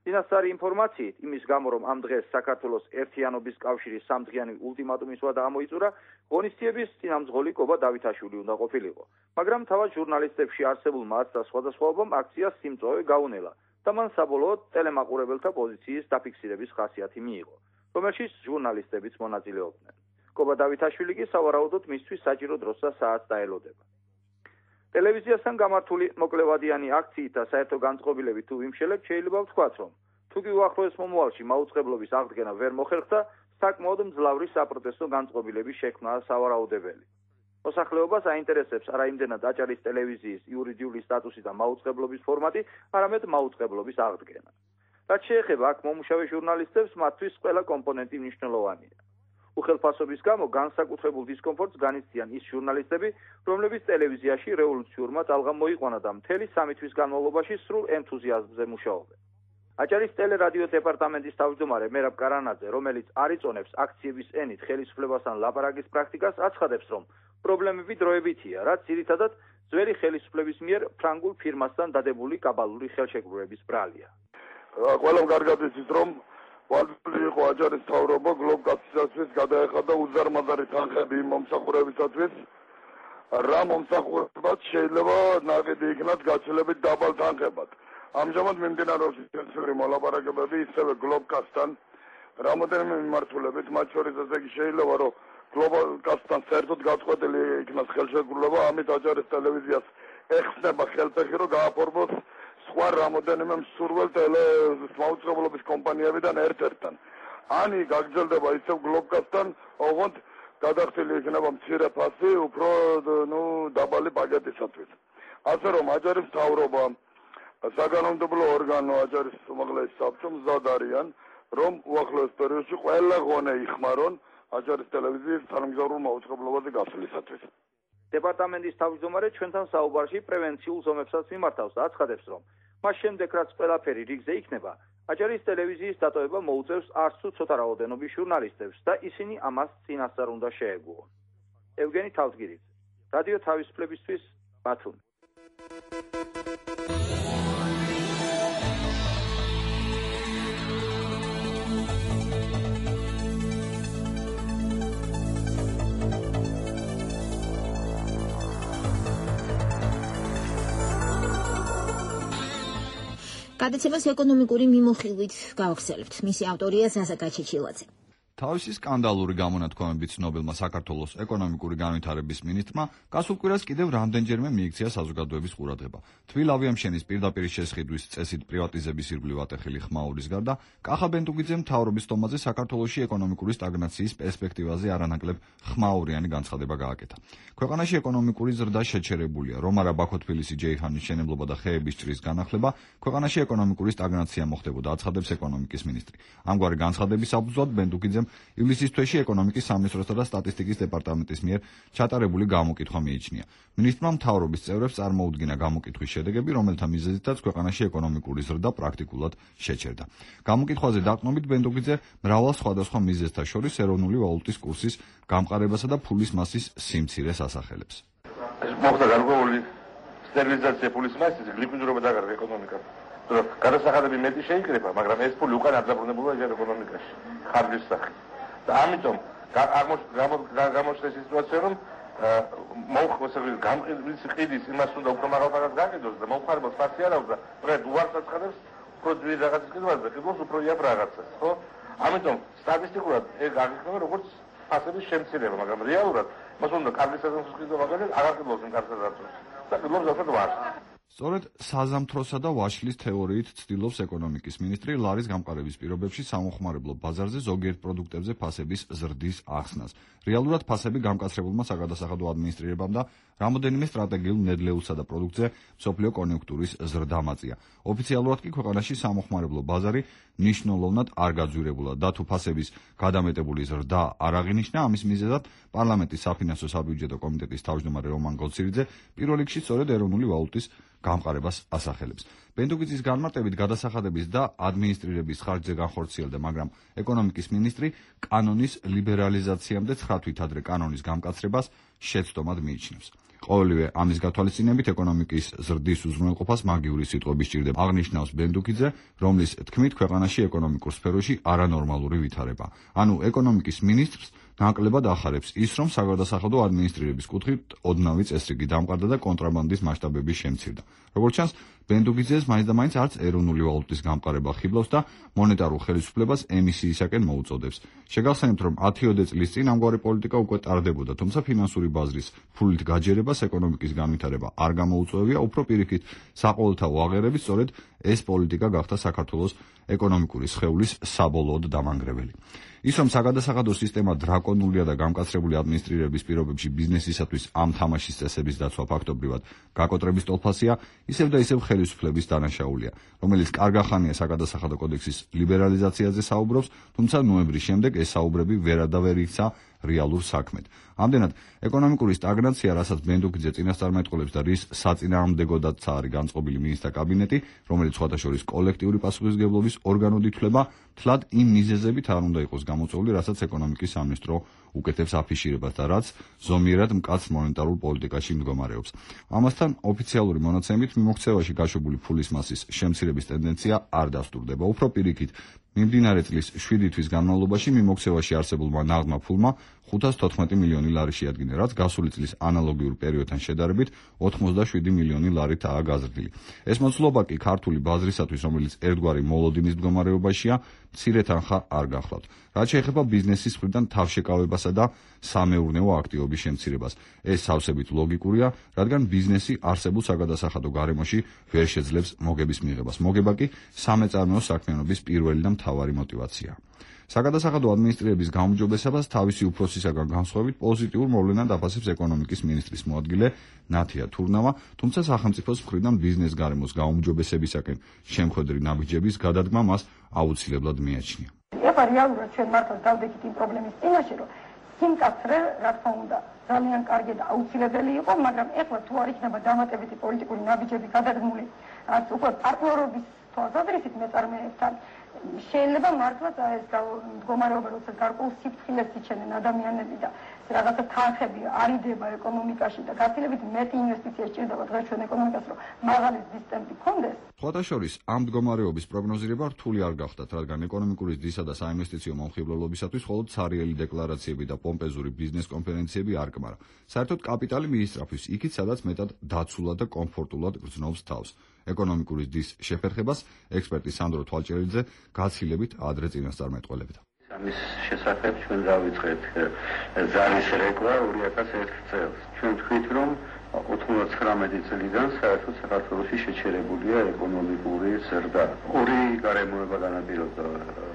წინასწარი ინფორმაციით, იმის გამო, რომ ამ დღეს საქართველოს ერთიანობის კავშირის სამდღიანი ულტიმატუმის ვადა ამოიწურა, ღონისძიების წინამძღოლი კობა დავითაშვილი უნდა ყოფილიყო. მაგრამ თავად ჟურნალისტებში არსებულმა აცდა სხვადასხვაობამ აქციას სიმწვავე გაუნელა და მან საბოლოოდ ტელემაყურებელთა პოზიციის დაფიქსირების ხასიათი მიიღო, რომელშიც ჟურნალისტებიც მონაწილეობდნენ. კობა დავითაშვილი კი სავარაუდოდ მისთვის საჭირო დროს და საათს დაელოდება. ტელევიზიასთან გამართული მოკლევადიანი აქციით და საერთო განწყობილებით თუ ვიმშელებ, შეიძლება ვთქვათ, რომ თუ კი უახლოეს მომავალში მაუწყებლობის აღდგენა ვერ მოხერხდა, საკმაოდ მძლავრი საპროტესტო განწყობილების შექმნაა სავარაუდებელი. მოსახლეობას აინტერესებს არა იმდენად აჭარის ტელევიზიის იურიდიული სტატუსი და მაუწყებლობის ფორმატი, არამედ მაუწყებლობის აღდგენა. რაც შეეხება აქ მომუშავე ჟურნალისტებს, მათთვის ყველა კომპონენტი მნიშვნელოვანია. უხელფასობის გამო განსაკუთრებულ დისკომფორტს განიცდიან ის ჟურნალისტები, რომლებიც ტელევიზიაში რევოლუციურმა ტალღამ მოიყვანა და მთელი 3 თვის განმავლობაში სრულ ენთუზიაზმზე მუშაობენ. აჭარის ტელერადიო დეპარტამენტის თავმჯდომარე მერაბ კარანაძე, რომელიც არ იწონებს აქციების ენით ხელისუფლებასთან ლაპარაკის პრაქტიკას, აცხადებს, რომ პრობლემები დროებითია, რაც ძირითადად ძველი ხელისუფლების მიერ ფრანგულ ფირმასთან დადებული კაბალური ხელშეკრულების ბრალია. ყველამ კარგად იცის, რომ ვალდული იყო აჭარის მთავრობა გლობკასტისათვის გადაეხადა უზარმაზარი თანხები იმ მომსახურებისათვის, რა მომსახურებაც შეიძლება ნაკიდი იქნათ გაცილებით დაბალ თანხებად. ამჟამად მიმდინარეობს ინტენსიური მოლაპარაკებები ისევე გლობკასთან, რამოდენიმე მიმართულებით, მათ შორის ესე იგი შეიძლება, რომ გლობკასთან საერთოდ გაწყვეტილი იქნას ხელშეკრულება, ამით აჭარის ტელევიზიას ეხსნება ხელფეხი, რომ გააფორმოს სხვა რამოდენიმე მსურველ მაუწყებლობის კომპანიებიდან ერთ-ერთთან. ანი გაგრძელდება ისევ გლობკასთან, ოღონდ გადახდილი იქნება მცირე ფასი, უფრო დაბალი პაკეტისათვის. ასე რომ აჭარის მთავრობა, საგანმანათლებლო ორგანო აჭარის უმაღლესი საბჭო მზად არიან, რომ უახლოეს პერიოდში ყველა ღონე იხმარონ აჭარის ტელევიზიის თანამგზავრულ მაუწყებლობაზე გასვლისათვის. დეპარტამენტის თავმჯდომარე ჩვენთან საუბარში პრევენციულ ზომებსაც მიმართავს და აცხადებს, რომ მას შემდეგ რაც ყველაფერი რიგზე იქნება, აჭარის ტელევიზიის დატოვება მოუწევს არც თუ ცოტა რაოდენობის ჟურნალისტებს და ისინი ამას წინასწარ უნდა შეეგუონ. ევგენი თავდგირიძე, რადიო თავისუფლებისთვის, ბათუმი. გადაცემას ეკონომიკური მიმოხილვით გავახსენებთ. მისი ავტორია ზაზა გაჩეჩილაძე. თავისი სკანდალური გამონათქვამებით ცნობილმა საქართველოს ეკონომიკური განვითარების მინისტრმა გასულ კვირას კიდევ რამდენჯერმე მიიქცია საზოგადოების ყურადღება. თბილ ავიამშენის პირდაპირ შესყიდვის წესით პრივატიზების ირგვლივ ატეხილი ხმაურის გარდა, კახა ბენტუგიძემ მთავრობის თომაზე საქართველოში ეკონომიკური სტაგნაციის პერსპექტივაზე არანაკლებ ხმაურიანი განცხადება გააკეთა. ქვეყანაში ეკონომიკური ზრდა შეჩერებულია, რომარა ბაქო-თბილისი ჯეიჰანის მშენებლობა და ხეების ჭრის განახლება, ქვეყანაში ეკონომიკური სტაგნაცია მოხდებოდა, აცხადებს ეკონომიკის მინისტრი. ამგვარი განცხადების საფუძვლად ბენტუგიძემ ივლისის თვეში ეკონომიკის სამინისტროსა და სტატისტიკის დეპარტამენტის მიერ ჩატარებული გამოკითხვა მიიჩნია. მინისტრმა მთავრობის წევრებს წარმოუდგინა გამოკითხვის შედეგები, რომელთა მიზეზითაც ქვეყანაში ეკონომიკური ზრდა პრაქტიკულად შეჩერდა. გამოკითხვაზე დაყრდნობით ბენტუგიძე მრავალ სხვადასხვა მიზეზთა შორის ეროვნული ვალუტის კურსის გამყარებასა და ფულის მასის სიმცირეს ასახელებს. მოხდა გარკვეული სტერილიზაცია ფულის მასის, ლიკვიდურობა დაგარგა ეკონომიკამ. გადასახადები მეტი შეიკრება, მაგრამ ეს ფული უკან არ დაბრუნებულა ჯერ ეკონომიკაში, ხარჯის სახით. და ამიტომ გამოჩნდა სიტუაცია, რომ გამყიდვის ყიდის იმას უნდა უფრო მაღალ ფასად გააკეთოს და მომხმარებელს ფასი არ აქვს და დღეს უარს აცხადებს უფრო ძვირი რაღაცის ყიდვას და ყიდულს უფრო იაფ რაღაცას, ხო? ამიტომ სტატისტიკურად ეგ აღიქმება როგორც ფასების შემცირება, მაგრამ რეალურად მას უნდა კარგი საზამთროს ყიდვა მაგალითად აღარ ყიდულს იმ კარგ საზამთროს და ყიდულს ზუსტად ვარს. სწორედ საზამთროსა და ვაშლის თეორიით ცდილობს ეკონომიკის მინისტრი ლარის გამყარების პირობებში სამოხმარებლო ბაზარზე ზოგიერთ პროდუქტებზე ფასების ზრდის ახსნას. რეალურად ფასები გამკაცრებულმა საგადასახადო ადმინისტრირებამ და რამოდენიმე სტრატეგიულ ნედლეულსა და პროდუქტზე მსოფლიო კონიუნქტურის ზრდა მაწია. ოფიციალურად კი ქვეყანაში სამოხმარებლო ბაზარი ნიშნულოვნად არ გაძვირებულა და თუ ფასების გადამეტებული ზრდა არ აღინიშნა, ამის მიზეზად პარლამენტის საფინანსო საბიუჯეტო კომიტეტის თავმჯდომარე რომან გოლცირიძე პირველ რიგში სწორედ ეროვნული ვალუტის გამყარებას ასახელებს. ბენდუგიძის განმარტებით გადასახადების და ადმინისტრირების ხარჯზე განხორციელდა, მაგრამ ეკონომიკის მინისტრი კანონის ლიბერალიზაციამდე 9 თვით ადრე კანონის გამკაცრებას შეცდომად მიიჩნევს. ყოველივე ამის გათვალისწინებით ეკონომიკის ზრდის უზრუნველყოფას მაგიური სიტყვები სჭირდება, აღნიშნავს ბენდუგიძე, რომლის თქმით ქვეყანაში ეკონომიკურ სფეროში არანორმალური ვითარება. ანუ ეკონომიკის მინისტრს ნაკლებად ახარებს ის, რომ საგადასახადო ადმინისტრირების კუთხით ოდნავი წესრიგი დამყარდა და კონტრაბანდის მასშტაბები შემცირდა. როგორც ჩანს, ბენდუგიძეს მაინც და მაინც არც ეროვნული ვალუტის გამყარება ხიბლავს და მონეტარულ ხელისუფლებას ემისიისაკენ მოუწოდებს. შეგახსენებთ, რომ 10-ოდე წლის წინ ამგვარი პოლიტიკა უკვე ტარდებოდა, თუმცა ფინანსური ბაზრის ფულით გაჯერებას ეკონომიკის განვითარება არ გამოუწვევია, უფრო პირიქით საყოველთაო აღიარებით სწორედ ეს პოლიტიკა გახდა საქართველოს ეკონომიკური სხეულის საბოლოოდ დამანგრეველი. ის, რომ საგადასახადო სისტემა დრაკონულია და გამკაცრებული ადმინისტრირების პირობებში ბიზნესისათვის ამ თამაშის წესების დაცვა ფაქტობრივად გაკოტრების ტოლფასია, ისევ და ისევ ხელისუფლების დანაშაულია, რომელიც კარგახანია საგადასახადო კოდექსის ლიბერალიზაციაზე საუბრობს, თუმცა ნოემბრის შემდეგ ეს საუბრები ვერადავერ იქცა რეალურ საქმედ. ამდენად, ეკონომიკური სტაგნაცია, რასაც ბენდუგიძე წინასწარმეტყველებს და რის საწინააღმდეგოდაც არის განწყობილი მინისტრთა კაბინეტი, რომელიც სხვათა შორის კოლექტიური პასუხისმგებლობის ორგანოდ ითვლება, თლად იმ მიზეზებით არ უნდა იყოს გამოწვეული, რასაც ეკონომიკის სამინისტრო უკეთებს აფიშირებას და რაც ზომიერად მკაც მონეტარულ პოლიტიკაში მდგომარეობს. ამასთან, ოფიციალური მონაცემებით მიმოქცევაში გაშვებული ფულის მასის შემცირების ტენდენცია არ დასტურდება. უფრო პირიქით, მიმდინარე წლის 7 თვის განმავლობაში მიმოქცევაში არსებულმა ნაღდმა ფულმა 514 მილიონი ლარი შეადგინა, რაც გასული წლის ანალოგიურ პერიოდთან შედარებით 87 მილიონი ლარითაა გაზრდილი. ეს მოცულობა კი ქართული ბაზრისათვის, რომელიც ერთგვარი მოლოდინის მდგომარეობაშია, მცირე თანხა არ გახლავთ. რაც შეეხება ბიზნესის მხრიდან თავშეკავებასა და სამეურნეო აქტივობის შემცირებას, ეს სავსებით ლოგიკურია, რადგან ბიზნესი არსებულ საგადასახადო გარემოში ვერ შეძლებს მოგების მიღებას. მოგება კი სამეწარმეო საქმიანობის პირველი და მთავარი მოტივაციაა. საგადასახადო ადმინისტრირების გაუმჯობესებას თავისი უფროსისაგან განსხვავებით პოზიტიურ მოვლენად აფასებს ეკონომიკის მინისტრის მოადგილე ნათია თურნავა, თუმცა სახელმწიფოს მხრიდან ბიზნეს გარემოს გაუმჯობესებისაკენ შემხვედრი ნაბიჯების გადადგმა მას აუცილებლად მიაჩნია. ეხლა რეალურად ჩვენ მართლა დავდექით იმ პრობლემის წინაშე, რომ სიმკაცრე, რა თქმა უნდა, ძალიან კარგი და აუცილებელი იყო, მაგრამ ეხლა თუ არ იქნება დამატებითი პოლიტიკური ნაბიჯები გადადგმული, რაც უკვე პარტნიორობის თვალსაზრისით მეწარმეებთან, შეიძლება მართლაც ეს მდგომარეობა, როცა გარკვეულ სიფრთხილეს იჩენენ ადამიანები და რაღაცა თანხები არიდება ეკონომიკაში და გაცილებით მეტი ინვესტიცია სჭირდება დღეს ჩვენ ეკონომიკას, რომ მაღალი ზრდის ტემპი გქონდეს. სხვათა შორის, ამ მდგომარეობის პროგნოზირება რთული არ გახდათ, რადგან ეკონომიკური ზრდისა და საინვესტიციო მომხიბლელობისათვის მხოლოდ ცარიელი დეკლარაციები და პომპეზური ბიზნეს კონფერენციები არ კმარა. საერთოდ კაპიტალი მიისწრაფვის იქით, სადაც მეტად დაცულად და კომფორტულად გრძნობს თავს. ეკონომიკური ზრდის შეფერხებას ექსპერტი სანდრო თვალჭერიძე გაცილებით ადრე წინასწარმეტყველებდა. ამის შესახებ ჩვენ დავიწყეთ ზარის რეკვა 2001 წელს. ჩვენ თქვით, რომ 99 წლიდან საერთოდ საქართველოში შეჩერებულია ეკონომიკური ზრდა. ორი გარემოება განაპირობა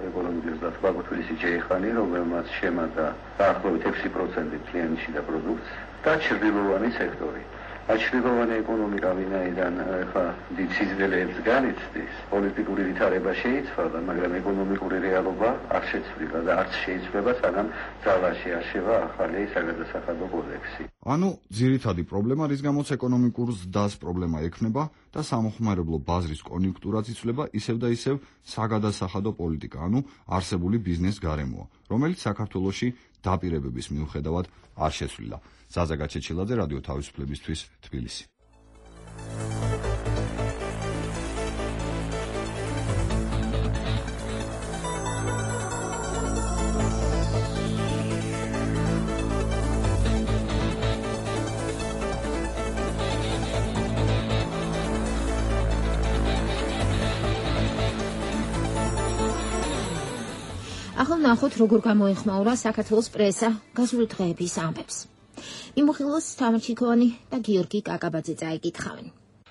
ეკონომიკის ზრდას. ბაგოთვილის ჯეიხანი, რომელმაც შემატა დაახლოებით 6% კლიენტში და პროდუქტს და ჩრდილოვანი სექტორი. აჩრდილოვანი ეკონომიკა ვინაიდან ახლა დიდ სიზნელეებს განიცდის, პოლიტიკური ვითარება შეიცვალა, მაგრამ ეკონომიკური რეალობა არ შეცვლილა და არც შეიცვლება, სანამ ძალაში არშევა ახალი საგადასახადო კოდექსი. ანუ ძირითადი პრობლემა, რის გამოც ეკონომიკურ ზრდას პრობლემა ექმნება და სამოხმარებლო ბაზრის კონიუნქტურაც იცვლება, ისევ და ისევ საგადასახადო პოლიტიკა, ანუ არსებული ბიზნეს გარემოა, რომელიც საქართველოში დაპირებების მიუხედავად არ შეცვლილა. ზაზა გაჩეჩილაძე, რადიო თავისუფლებისთვის, თბილისი. ახლა ნახოთ, როგორ გამოეხმაურა საქართველოს პრესა გასული დღეების ამბებს. მიმოხილოს თამარ ჩიქოვანი და გიორგი კაკაბაძე წაიკითხავენ.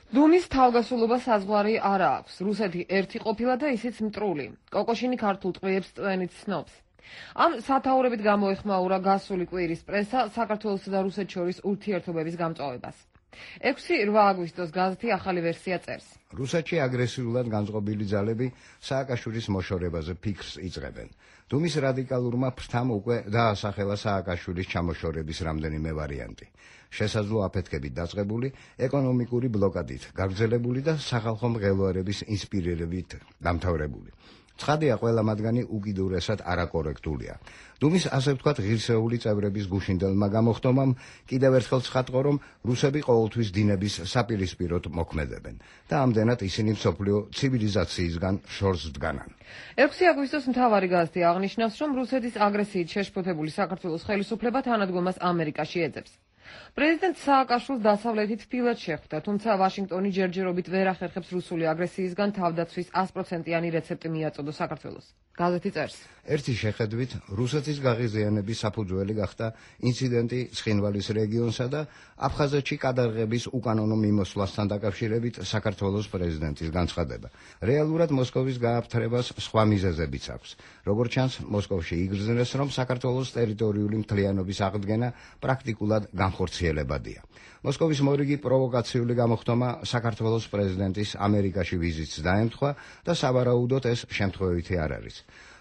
დუმის თავგასულობა საზღვარი არ აქვს. რუსეთი ერთი ყოფილა და ისიც მტრული. კოკოშინი ქართულ ტყვიებს წვენით ცნობს. ამ სათაურებით გამოეხმაურა გასული კვირის პრესა საქართველოსა და რუსეთს შორის ურთიერთობების გამწვავებას. 6-8 აგვისტოს გაზეთი ახალი ვერსია წერს. რუსეთში აგრესიულად განწყობილი ძალები სააკაშვილის მოშორებაზე ფიქრს იწყებენ. დუმის რადიკალურმა ფრთამ უკვე დაასახელა სააკაშვილის ჩამოშორების რამდენიმე ვარიანტი. შესაძლო აფეთქებით დაწყებული, ეკონომიკური ბლოკადით გაგრძელებული და სახალხო მღელვარების ინსპირირებით დამთავრებული. ცხადია, ყველა მათგანი უკიდურესად არაკორექტულია. დუმის ასე ვთქვათ ღირსეული წევრების გუშინდელმა გამოხდომამ კიდევ ერთხელ ცხადყო, რომ რუსები ყოველთვის დინების საპირისპიროდ მოქმედებენ და ამდენად ისინი მსოფლიო ცივილიზაციისგან შორს დგანან. 6 აგვისტოს მთავარი გაზეთი აღნიშნავს, რომ რუსეთის აგრესიით შეშფოთებული საქართველოს ხელისუფლება თანადგომას ამერიკაში ეძებს. პრეზიდენტ სააკაშვილს დასავლეთით თბილად შეხვდა, თუმცა ვაშინგტონი ჯერჯერობით ვერ ახერხებს რუსული აგრესიისგან თავდაცვის 100%-იანი რეცეპტი მიაწოდოს საქართველოს. გაზეთი წერს. ერთი შეხედვით, რუსეთის გაღიზიანების საფუძველი გახდა ინციდენტი ცხინვალის რეგიონსა და აფხაზეთში კადარღების უკანონო მიმოსვლასთან დაკავშირებით საქართველოს პრეზიდენტის განცხადება. რეალურად მოსკოვის გააფთრებას სხვა მიზეზებიც აქვს. როგორც ჩანს, მოსკოვში იგრძნეს, რომ საქართველოს ტერიტორიული მთლიანობის აღდგენა პრაქტიკულად განხორციელებადია. მოსკოვის მორიგი პროვოკაციული გამოხდომა საქართველოს პრეზიდენტის ამერიკაში ვიზიტს დაემთხვა და სავარაუდოდ ეს შემთხვევითი არ არის.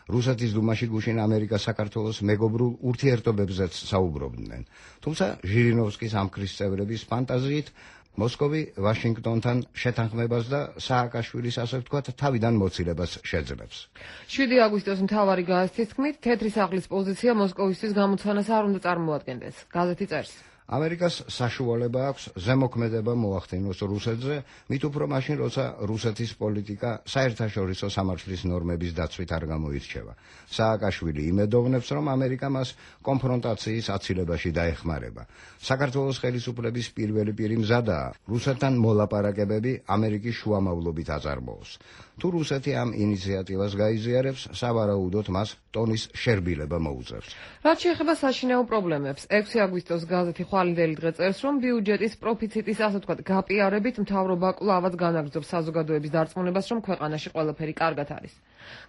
რუსეთის დუმაში გუშინ ამერიკა საქართველოს მეგობრულ ურთიერთობებზეც საუბრობდნენ. თუმცა ჟირინოვსკის ამქრის წევრების ფანტაზიით მოსკოვი ვაშინგტონთან შეთანხმებას და სააკაშვილის ასე ვთქვათ თავიდან მოცილებას შეძლებს. 7 აგვისტოს მთავარი გაზეთის თქმით, თეთრი სახლის პოზიცია მოსკოვისთვის გამოცანას არ უნდა წარმოადგენდეს. გაზეთი წერს. ამერიკას საშუალება აქვს ზემოქმედება მოახდინოს რუსეთზე, მით უფრო მაშინ, როცა რუსეთის პოლიტიკა საერთაშორისო სამართლის ნორმების დაცვით არ გამოირჩევა. სააკაშვილი იმედოვნებს, რომ ამერიკა მას კონფრონტაციის აცილებაში დაეხმარება. საქართველოს ხელისუფლების პირველი პირი მზადაა რუსეთთან მოლაპარაკებები ამერიკის შუამავლობით აწარმოოს. თუ რუსეთი ამ ინიციატივას გაიზიარებს, სავარაუდოდ მას ტონის შერბილება მოუწევს. რაც შეეხება საშინაო პრობლემებს, 6 აგვისტოს გაზეთი ხვალინდელი დღე წერს, რომ ბიუჯეტის პროფიციტის ასე ვთქვათ გაპიარებით მთავრობა კვლავაც განაგრძობს საზოგადოების დარწმუნებას, რომ ქვეყანაში ყველაფერი კარგად არის.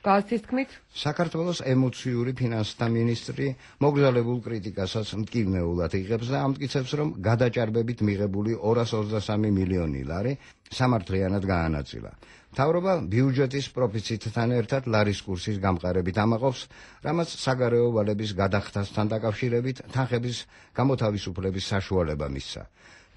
გაზეთის თქმით, საქართველოს ემოციური ფინანსთა მინისტრი მოგზაურებულ კრიტიკასაც მტკივნეულად იღებს და ამტკიცებს, რომ გადაჭარბებით მიღებული 223 მილიონი ლარი სამართლიანად გაანაწილა. მთავრობა ბიუჯეტის პროფიციტთან ერთად ლარის კურსის გამყარებით ამაყობს, რამაც საგარეო ვალების გადახდასთან დაკავშირებით თანხების გამოთავისუფლების საშუალება მისცა.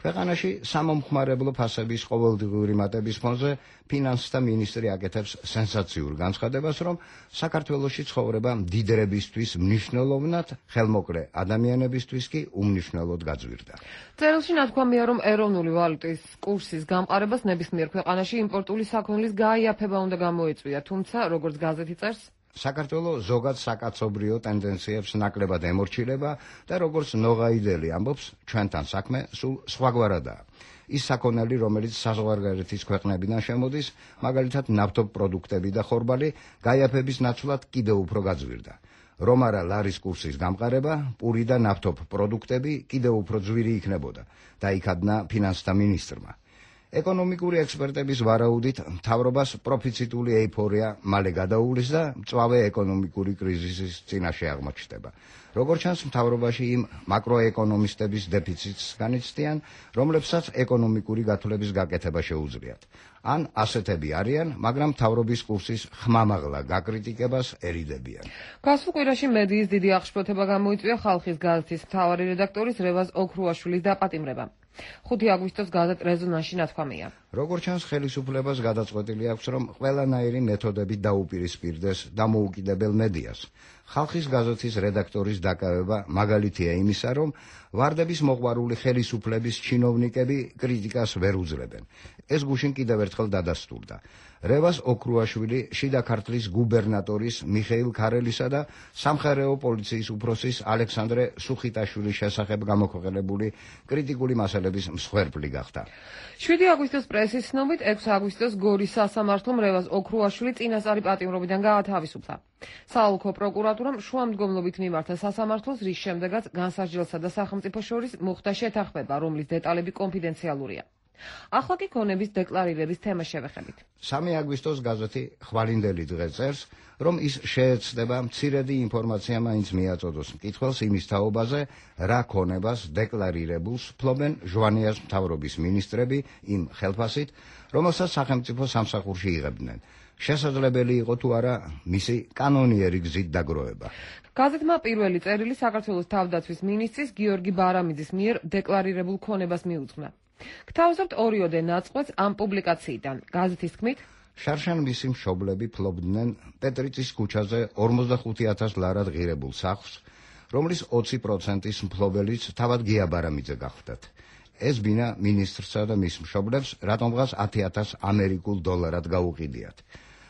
ქვეყანაში სამომხმარებლო ფასების ყოველდღიური მატების ფონზე ფინანსთა მინისტრი აკეთებს სენსაციურ განცხადებას, რომ საქართველოში ცხოვრება მდიდრებისთვის მნიშვნელოვნად, ხელმოკლე ადამიანებისთვის კი უმნიშვნელოდ გაძვირდა. წერილში ნათქვამია, რომ ეროვნული ვალუტის კურსის გამყარებას ნებისმიერ ქვეყანაში იმპორტული საქონლის გაიაფება უნდა გამოეწვია, თუმცა, როგორც გაზეთი წერს, საქართველოს ზოგად საკაცობრიო ტენდენციებს ნაკლებად ემორჩილება და როგორც ნოღაიდელი ამბობს, ჩვენთან საქმე სულ სხვაგვარადაა. ის საქონელი, რომელიც საზღვარგარეთის ქვეყნებიდან შემოდის, მაგალითად ნავთობპროდუქტები და ხორბალი, გაიაფების ნაცვლად კიდევ უფრო გაძვირდა. რომ არა ლარის კურსის გამყარება, პური და ნავთობპროდუქტები კიდევ უფრო ძვირი იქნებოდა, დაიქადნა ფინანსთა მინისტრმა. ეკონომიკური ექსპერტების ვარაუდით, მთავრობას პროფიციტული ეიფორია მალე გადაუვლის და მწვავე ეკონომიკური კრიზისის წინაშე აღმოჩნდება. როგორც ჩანს, მთავრობაში იმ მაკროეკონომისტების დეფიციტს განიცდიან, რომლებსაც ეკონომიკური გათვლების გაკეთება შეუძლიათ. ან ასეთები არიან, მაგრამ მთავრობის კურსის ხმამაღლა გაკრიტიკებას ერიდებიან. გასულ კვირაში მედიის დიდი აღშფოთება გამოიწვია ხალხის გაზეთის მთავარი რედაქტორის რევაზ ოქრუაშვილის დაპატიმრება. 5 აგვისტოს გაზეთ რეზონანსში ნათქვამია. როგორც ჩანს, ხელისუფლებას გადაწყვეტილი აქვს, რომ ყველანაირი მეთოდებით დაუპირისპირდეს დამოუკიდებელ მედიას. ხალხის გაზეთის რედაქტორის დაკავება მაგალითია იმისა, რომ ვარდების მოყვარული ხელისუფლების ჩინოვნიკები კრიტიკას ვერ უძლებენ. ეს გუშინ კიდევ ერთხელ დადასტურდა. რევაზ ოქრუაშვილი შიდა ქართლის გუბერნატორის მიხეილ ქარელისა და სამხარეო პოლიციის უფროსის ალექსანდრე სუხიტაშვილის შესახებ გამოქვეყნებული კრიტიკული მასალების მსხვერპლი გახდა. 7 აგვისტოს პრესის ცნობით, 6 აგვისტოს გორის სასამართლომ რევაზ ოქრუაშვილი წინასწარი პატიმრობიდან გაათავისუფლა. საოლქო პროკურატურამ შუამდგომლობით მიმართა სასამართლოს, რის შემდეგაც განსაჯელსა და სახელმწიფოს შორის მოხდა შეთანხმება, რომლის დეტალები კონფიდენციალურია. ახლა კი ქონების დეკლარირების თემა შევეხებით. 3 აგვისტოს გაზეთი ხვალინდელი დღე წერს, რომ ის შეეცდება მცირედი ინფორმაცია მაინც მიაწოდოს მკითხველს იმის თაობაზე, რა ქონებას დეკლარირებულს ფლობენ ჟვანიას მთავრობის მინისტრები იმ ხელფასით, რომელსაც სახელმწიფო სამსახურში იღებდნენ. შესაძლებელი იყო თუ არა მისი კანონიერი გზით დაგროვება. გაზეთმა პირველი წერილი საქართველოს თავდაცვის მინისტრის გიორგი ბარამიძის მიერ დეკლარირებულ ქონებას მიუძღვნა. გთავაზობთ ორიოდე ნაწყვეტს ამ პუბლიკაციიდან. გაზეთის თქმით, შარშან მისი მშობლები ფლობდნენ პეტრიწის ქუჩაზე 45,000 ლარად ღირებულ სახლს, რომლის 20%-ის მფლობელიც თავად გია ბარამიძე გახდათ. ეს ბინა მინისტრსა და მის მშობლებს რატომღაც 10,000 ამერიკულ დოლარად გაუყიდიათ.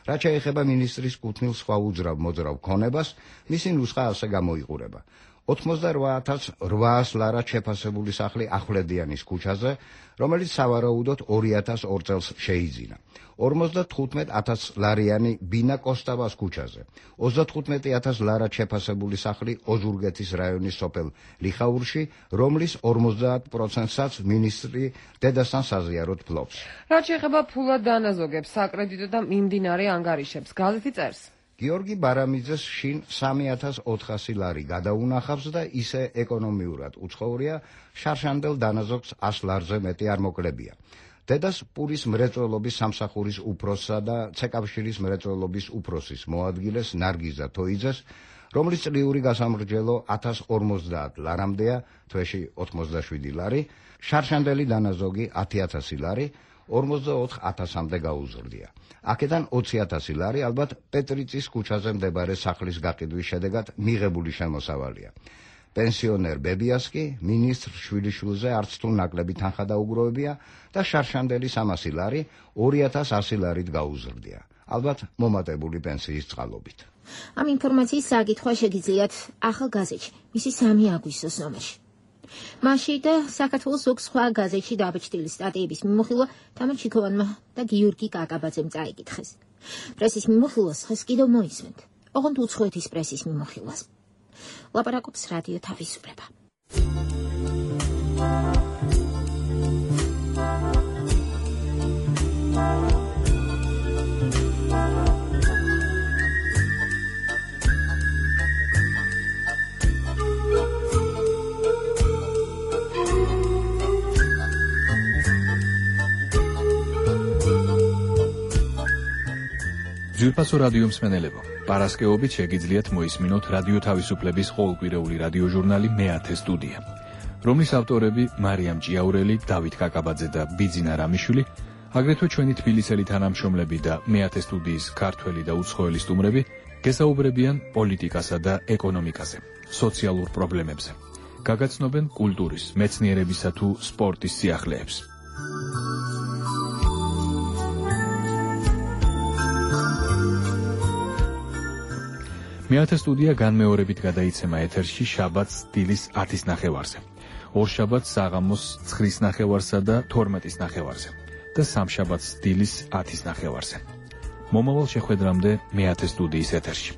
რაც შეეხება მინისტრის კუთვნილ სხვა უძრავ მოძრავ ქონებას, მისი ნუსხა ასე გამოიყურება. 88,800 ლარად შეფასებული სახლი ახვლედიანის ქუჩაზე, რომელიც სავარაუდოდ 2002 წელს შეიძინა. 55,000 ლარიანი ბინა კოსტავას ქუჩაზე, 35,000 ლარად შეფასებული სახლი ოზურგეთის რაიონის სოფელ ლიხაურში, რომლის 50%-საც მინისტრი დედასთან საზიაროდ ფლობს. რაც შეეხება ფულად დანაზოგებს, საკრედიტო და მიმდინარე ანგარიშებს, გაზეთი წერს. გიორგი ბარამიძეს შინ 3,400 ლარი გადაუნახავს და ისე ეკონომიურად უცხოვრია, შარშანდელ დანაზოგს 100 ლარზე მეტი არ მოკლებია. დედას პურის მრეწველობის სამსახურის უფროსსა და ცეკავშირის მრეწველობის უფროსის მოადგილეს ნარგიზა თოიძეს, რომლის წლიური გასამრჯელო 1050 ლარამდეა, თვეში 87 ლარი, შარშანდელი დანაზოგი 10,000 ლარი, 44,000-მდე გაუზრდია. აქედან 20,000 ლარი ალბათ პეტრიწის ქუჩაზე მდებარე სახლის გაყიდვის შედეგად მიღებული შემოსავალია. პენსიონერ ბებიას კი მინისტრ შვილიშვილზე არც თუ ნაკლები თანხა დაუგროვებია და შარშანდელი 300 ლარი 2,100 ლარით გაუზრდია. ალბათ მომატებული პენსიის წყალობით. ამ ინფორმაციის საკითხვა შეგიძლიათ ახალ გაზეთში, მისი 3 აგვისტოს ნომერში. მასში და საქართველოს ზოგ სხვა გაზეთში დაბეჭდილი სტატიების მიმოხილვა თამარ ჩიქოვანმა და გიორგი კაკაბაძემ წაიკითხეს. პრესის მიმოხილვას ხეს კიდევ მოისმენთ. ოღონდ უცხოეთის პრესის მიმოხილვას. ლაპარაკობს რადიო თავისუფლება. ძვირფასო რადიო მსმენელებო, პარასკევობით შეგიძლიათ მოისმინოთ რადიო თავისუფლების ყოველკვირეული რადიო ჟურნალი მე-10 სტუდია, რომლის ავტორები მარიამ ჭიაურელი, დავით კაკაბაძე და ბიძინა რამიშვილი, აგრეთვე ჩვენი თბილისელი თანამშრომლები და მე-10 სტუდიის ქართველი და უცხოელი სტუმრები გესაუბრებიან პოლიტიკასა და ეკონომიკაზე, სოციალურ პრობლემებზე. გაგაცნობენ კულტურის, მეცნიერებისა თუ სპორტის სიახლეებს. მე-10 სტუდია განმეორებით გადაიცემა ეთერში შაბათს დილის 10-ის ნახევარზე, ორშაბათს საღამოს 9-ის ნახევარსა და 12-ის ნახევარზე და სამშაბათს დილის 10-ის ნახევარზე. მომავალ შეხვედრამდე მე-10 სტუდიის ეთერში.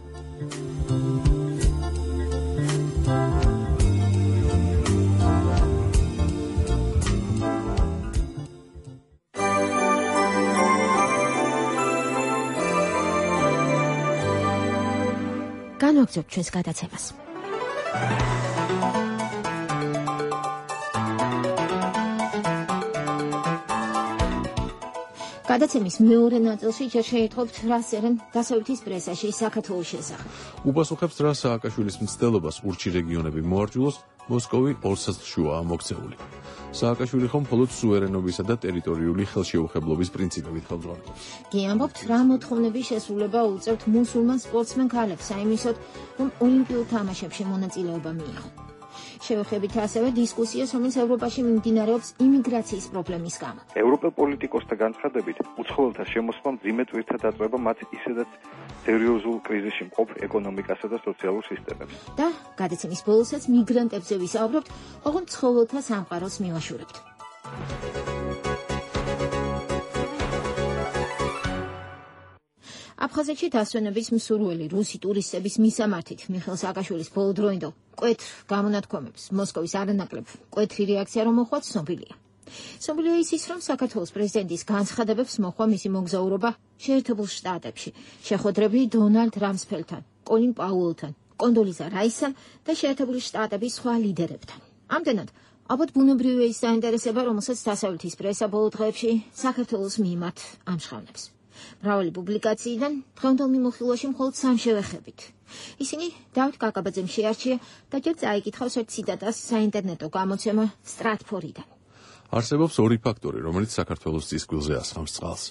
განვაგრძობთ ჩვენს გადაცემას. გადაცემის მეორე ნაწილში ჯერ შეიტყობთ რას წერენ დასავლეთის პრესაში საქართველოს შესახებ. უპასუხებს რა სააკაშვილის მცდელობას ურჩი რეგიონები მოარჭულოს, მოსკოვი ორსაზრშუაა მოქცეული. სააკაშვილი ხომ მხოლოდ სუვერენობისა და ტერიტორიული ხელშეუხებლობის პრინციპებით ხელმძღვანელობს. კი ამბობთ, რა მოთხოვნების შესრულება უწევთ მუსულმან სპორტსმენ ქალებს საიმისოდ, რომ ოლიმპიურ თამაშებში მონაწილეობა მიიღო. შევეხებით ასევე დისკუსიას, რომელიც ევროპაში მიმდინარეობს იმიგრაციის პრობლემის გამო. ევროპელ პოლიტიკოსთა განცხადებით, უცხოელთა შემოსვლა მძიმე ტვირთად აწვება მათ ისედაც სერიოზულ კრიზისში მყოფ ეკონომიკასა და სოციალურ სისტემებს. და გადაცემის ბოლოსაც მიგრანტებზე ვისაუბრებთ, ოღონდ ცხოველთა სამყაროს მივაშურებთ. აფხაზეთში დასვენების მსურველი რუსი ტურისტების მისამართით მიხეილ სააკაშვილის ბოლოდროინდელ მკვეთრ გამონათქვამებს მოსკოვის არანაკლებ მკვეთრი რეაქცია რომ მოხდა ცნობილია. ცნობილია ის, რომ საქართველოს პრეზიდენტის განცხადებებს მოჰყვა მისი მოგზაურობა შეერთებულ შტატებში, შეხვედრები დონალდ რამსფელდთან, კოლინ პაუელთან, კონდოლიზა რაისთან და შეერთებული შტატების სხვა ლიდერებთან. ამდენად, ალბათ ბუნებრივია ის საინტერესება, რომელსაც დასავლეთის პრესა ბოლო დღეებში საქართველოს მიმართ ამჟღავნებს. მრავალი პუბლიკაციიდან დღევანდელ მიმოხილვაში მხოლოდ 3 შევეხებით. ისინი დავით კაკაბაძემ შეარჩია და ჯერ წაიკითხავს ერთ ციტატას საინტერნეტო გამოცემა Stratford-დან. არსებობს ორი ფაქტორი, რომელიც საქართველოს წისქვილზე ასხამს წყალს.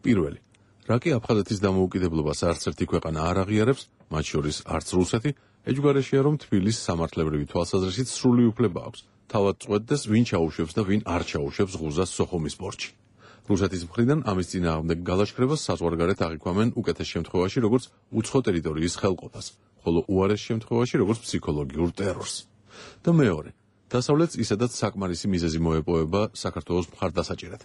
პირველი, რაკი აფხაზეთის დამოუკიდებლობას არც ერთი ქვეყანა არ აღიარებს, მათ შორის არც რუსეთი, ეჯგარეშია რომ თბილისს სამართლებრივი თვალსაზრისით სრული უფლება აქვს. თავად წვეთდეს, ვინ ჩაუშვებს და ვინ არ ჩაუშვებს ღუზას სოხუმის პორტში. რუსეთის მხრიდან ამის წინააღმდეგ გალაშქრებას საზღვარგარეთ აღიქვამენ უკეთეს შემთხვევაში როგორც უცხო ტერიტორიის ხელყოფას, ხოლო უარეს შემთხვევაში როგორც ფსიქოლოგიურ ტერორს. და მეორე, დასავლეთს ისედაც საკმარისი მიზეზი მოეპოვება საქართველოს მხარდასაჭერად.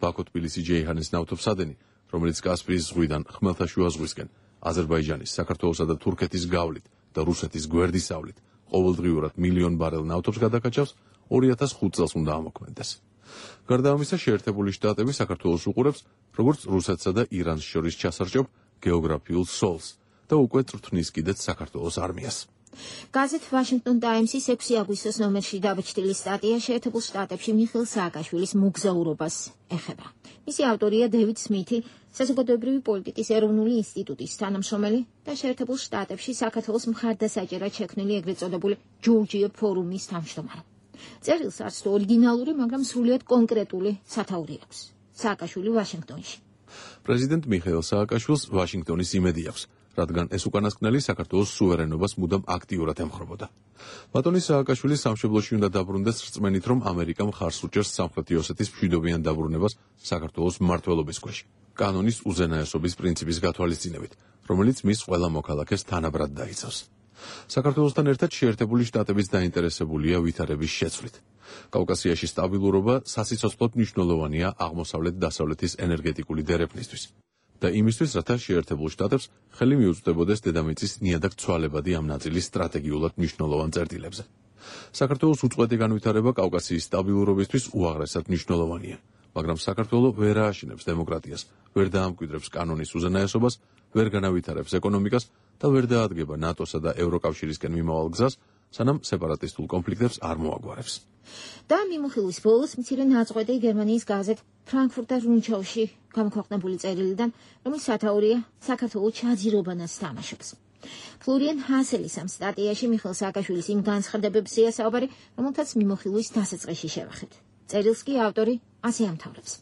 ბაქო-თბილისი-ჯეიჰანის ნავთობსადენი, რომელიც კასპიის ზღვიდან ხმელთაშუა ზღვისკენ, აზერბაიჯანის, საქართველოსა და თურქეთის გავლით და რუსეთის გვერდისავლით ყოველდღიურად მილიონ ბარელ ნავთობს გადაკაჭავს, 2005 წელს უნდა ამოქმედდეს. გარდა ამისა, შეერთებული შტატები საქართველოს უყურებს როგორც რუსეთსა და ირანს შორის ჩასარჭობ გეოგრაფიულ სოლს და უკვე წვრთნის კიდეც საქართველოს არმიას. გაზეთ Washington Times-ის 6 აგვისტოს ნომერში დაბეჭდილი სტატია შეერთებულ შტატებში მიხეილ სააკაშვილის მოგზაურობას ეხება. მისი ავტორია დევიდ სმითი, საზოგადოებრივი პოლიტიკის ეროვნული ინსტიტუტის თანამშრომელი და შეერთებულ შტატებში საქართველოს მხარდასაჭერად შექმნილი ეგრეთ წოდებული ჯორჯია ფორუმის თავმჯდომარე. წერილს არც თუ ორიგინალური, მაგრამ სრულიად კონკრეტული სათაური აქვს. სააკაშვილი ვაშინგტონში. პრეზიდენტ მიხეილ სააკაშვილს ვაშინგტონის იმედი აქვს, რადგან ეს უკანასკნელი საქართველოს სუვერენობას მუდამ აქტიურად ემხრობოდა. ბატონი სააკაშვილი სამშობლოში უნდა დაბრუნდეს რწმენით, რომ ამერიკა მხარს უჭერს სამხრეთი ოსეთის მშვიდობიან დაბრუნებას საქართველოს მმართველობის ქვეშ, კანონის უზენაესობის პრინციპის გათვალისწინებით, რომელიც მის ყველა მოქალაქეს თანაბრად დაიცავს. საქართველოსთან ერთად შეერთებული შტატებიც დაინტერესებულია ვითარების შეცვლით. კავკასიაში სტაბილურობა სასიცოცხლოდ მნიშვნელოვანია აღმოსავლეთ-დასავლეთის ენერგეტიკული დერეფნისთვის და იმისთვის, რათა შეერთებულ შტატებს ხელი მიუწვდებოდეს დედამიწის ნიადაგ ცვალებადი ამ ნაწილის სტრატეგიულად მნიშვნელოვან წერტილებზე. საქართველოს უწყვეტი განვითარება კავკასიის სტაბილურობისთვის უაღრესად მნიშვნელოვანია, მაგრამ საქართველო ვერ ააშენებს დემოკრატიას, ვერ დაამკვიდრებს კანონის უზენაესობას, ვერ განავითარებს ეკონომიკას და ვერ დაადგება ნატოსა და ევროკავშირისკენ მიმავალ გზას, სანამ სეპარატისტულ კონფლიქტებს არ მოაგვარებს. და მიმოხილვის ბოლოს მცირე ნაწყვეტი გერმანიის გაზეთ ფრანკფურტერ რუნჩაუში გამოქვეყნებული წერილიდან, რომლის სათაურია საქართველოს ჩაძირობანას თამაშობს. ფლორიან ჰასელის ამ სტატიაში მიხეილ სააკაშვილის იმ განცხადებებზეა საუბარი, რომელთაც მიმოხილვის დასაწყისში შევახეთ. წერილს კი ავტორი ასე ამთავრებს.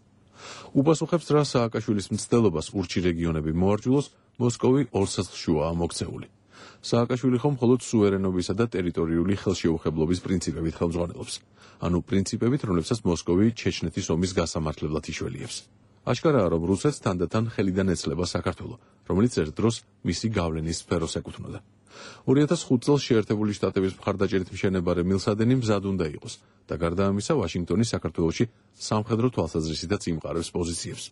უპასუხებს რა სააკაშვილის მცდელობას ურჩი რეგიონები მოარჯულოს, მოსკოვი ორ სახლშუაა მოქცეული. სააკაშვილი ხომ მხოლოდ სუვერენობისა და ტერიტორიული ხელშეუხებლობის პრინციპებით ხელმძღვანელობს, ანუ პრინციპებით, რომლებსაც მოსკოვი ჩეჩნეთის ომის გასამართლებლად იშველიებს. აშკარაა, რომ რუსეთს თანდათან ხელიდან ეცლება საქართველო, რომელიც ერთ დროს მისი გავლენის სფეროს ეკუთვნოდა. 2005 წელს შეერთებული შტატების მხარდაჭერით მშენებარე მილსადენი მზად უნდა იყოს და გარდა ამისა, ვაშინგტონი საქართველოში სამხედრო თვალსაზრისითაც იმყარებს პოზიციებს.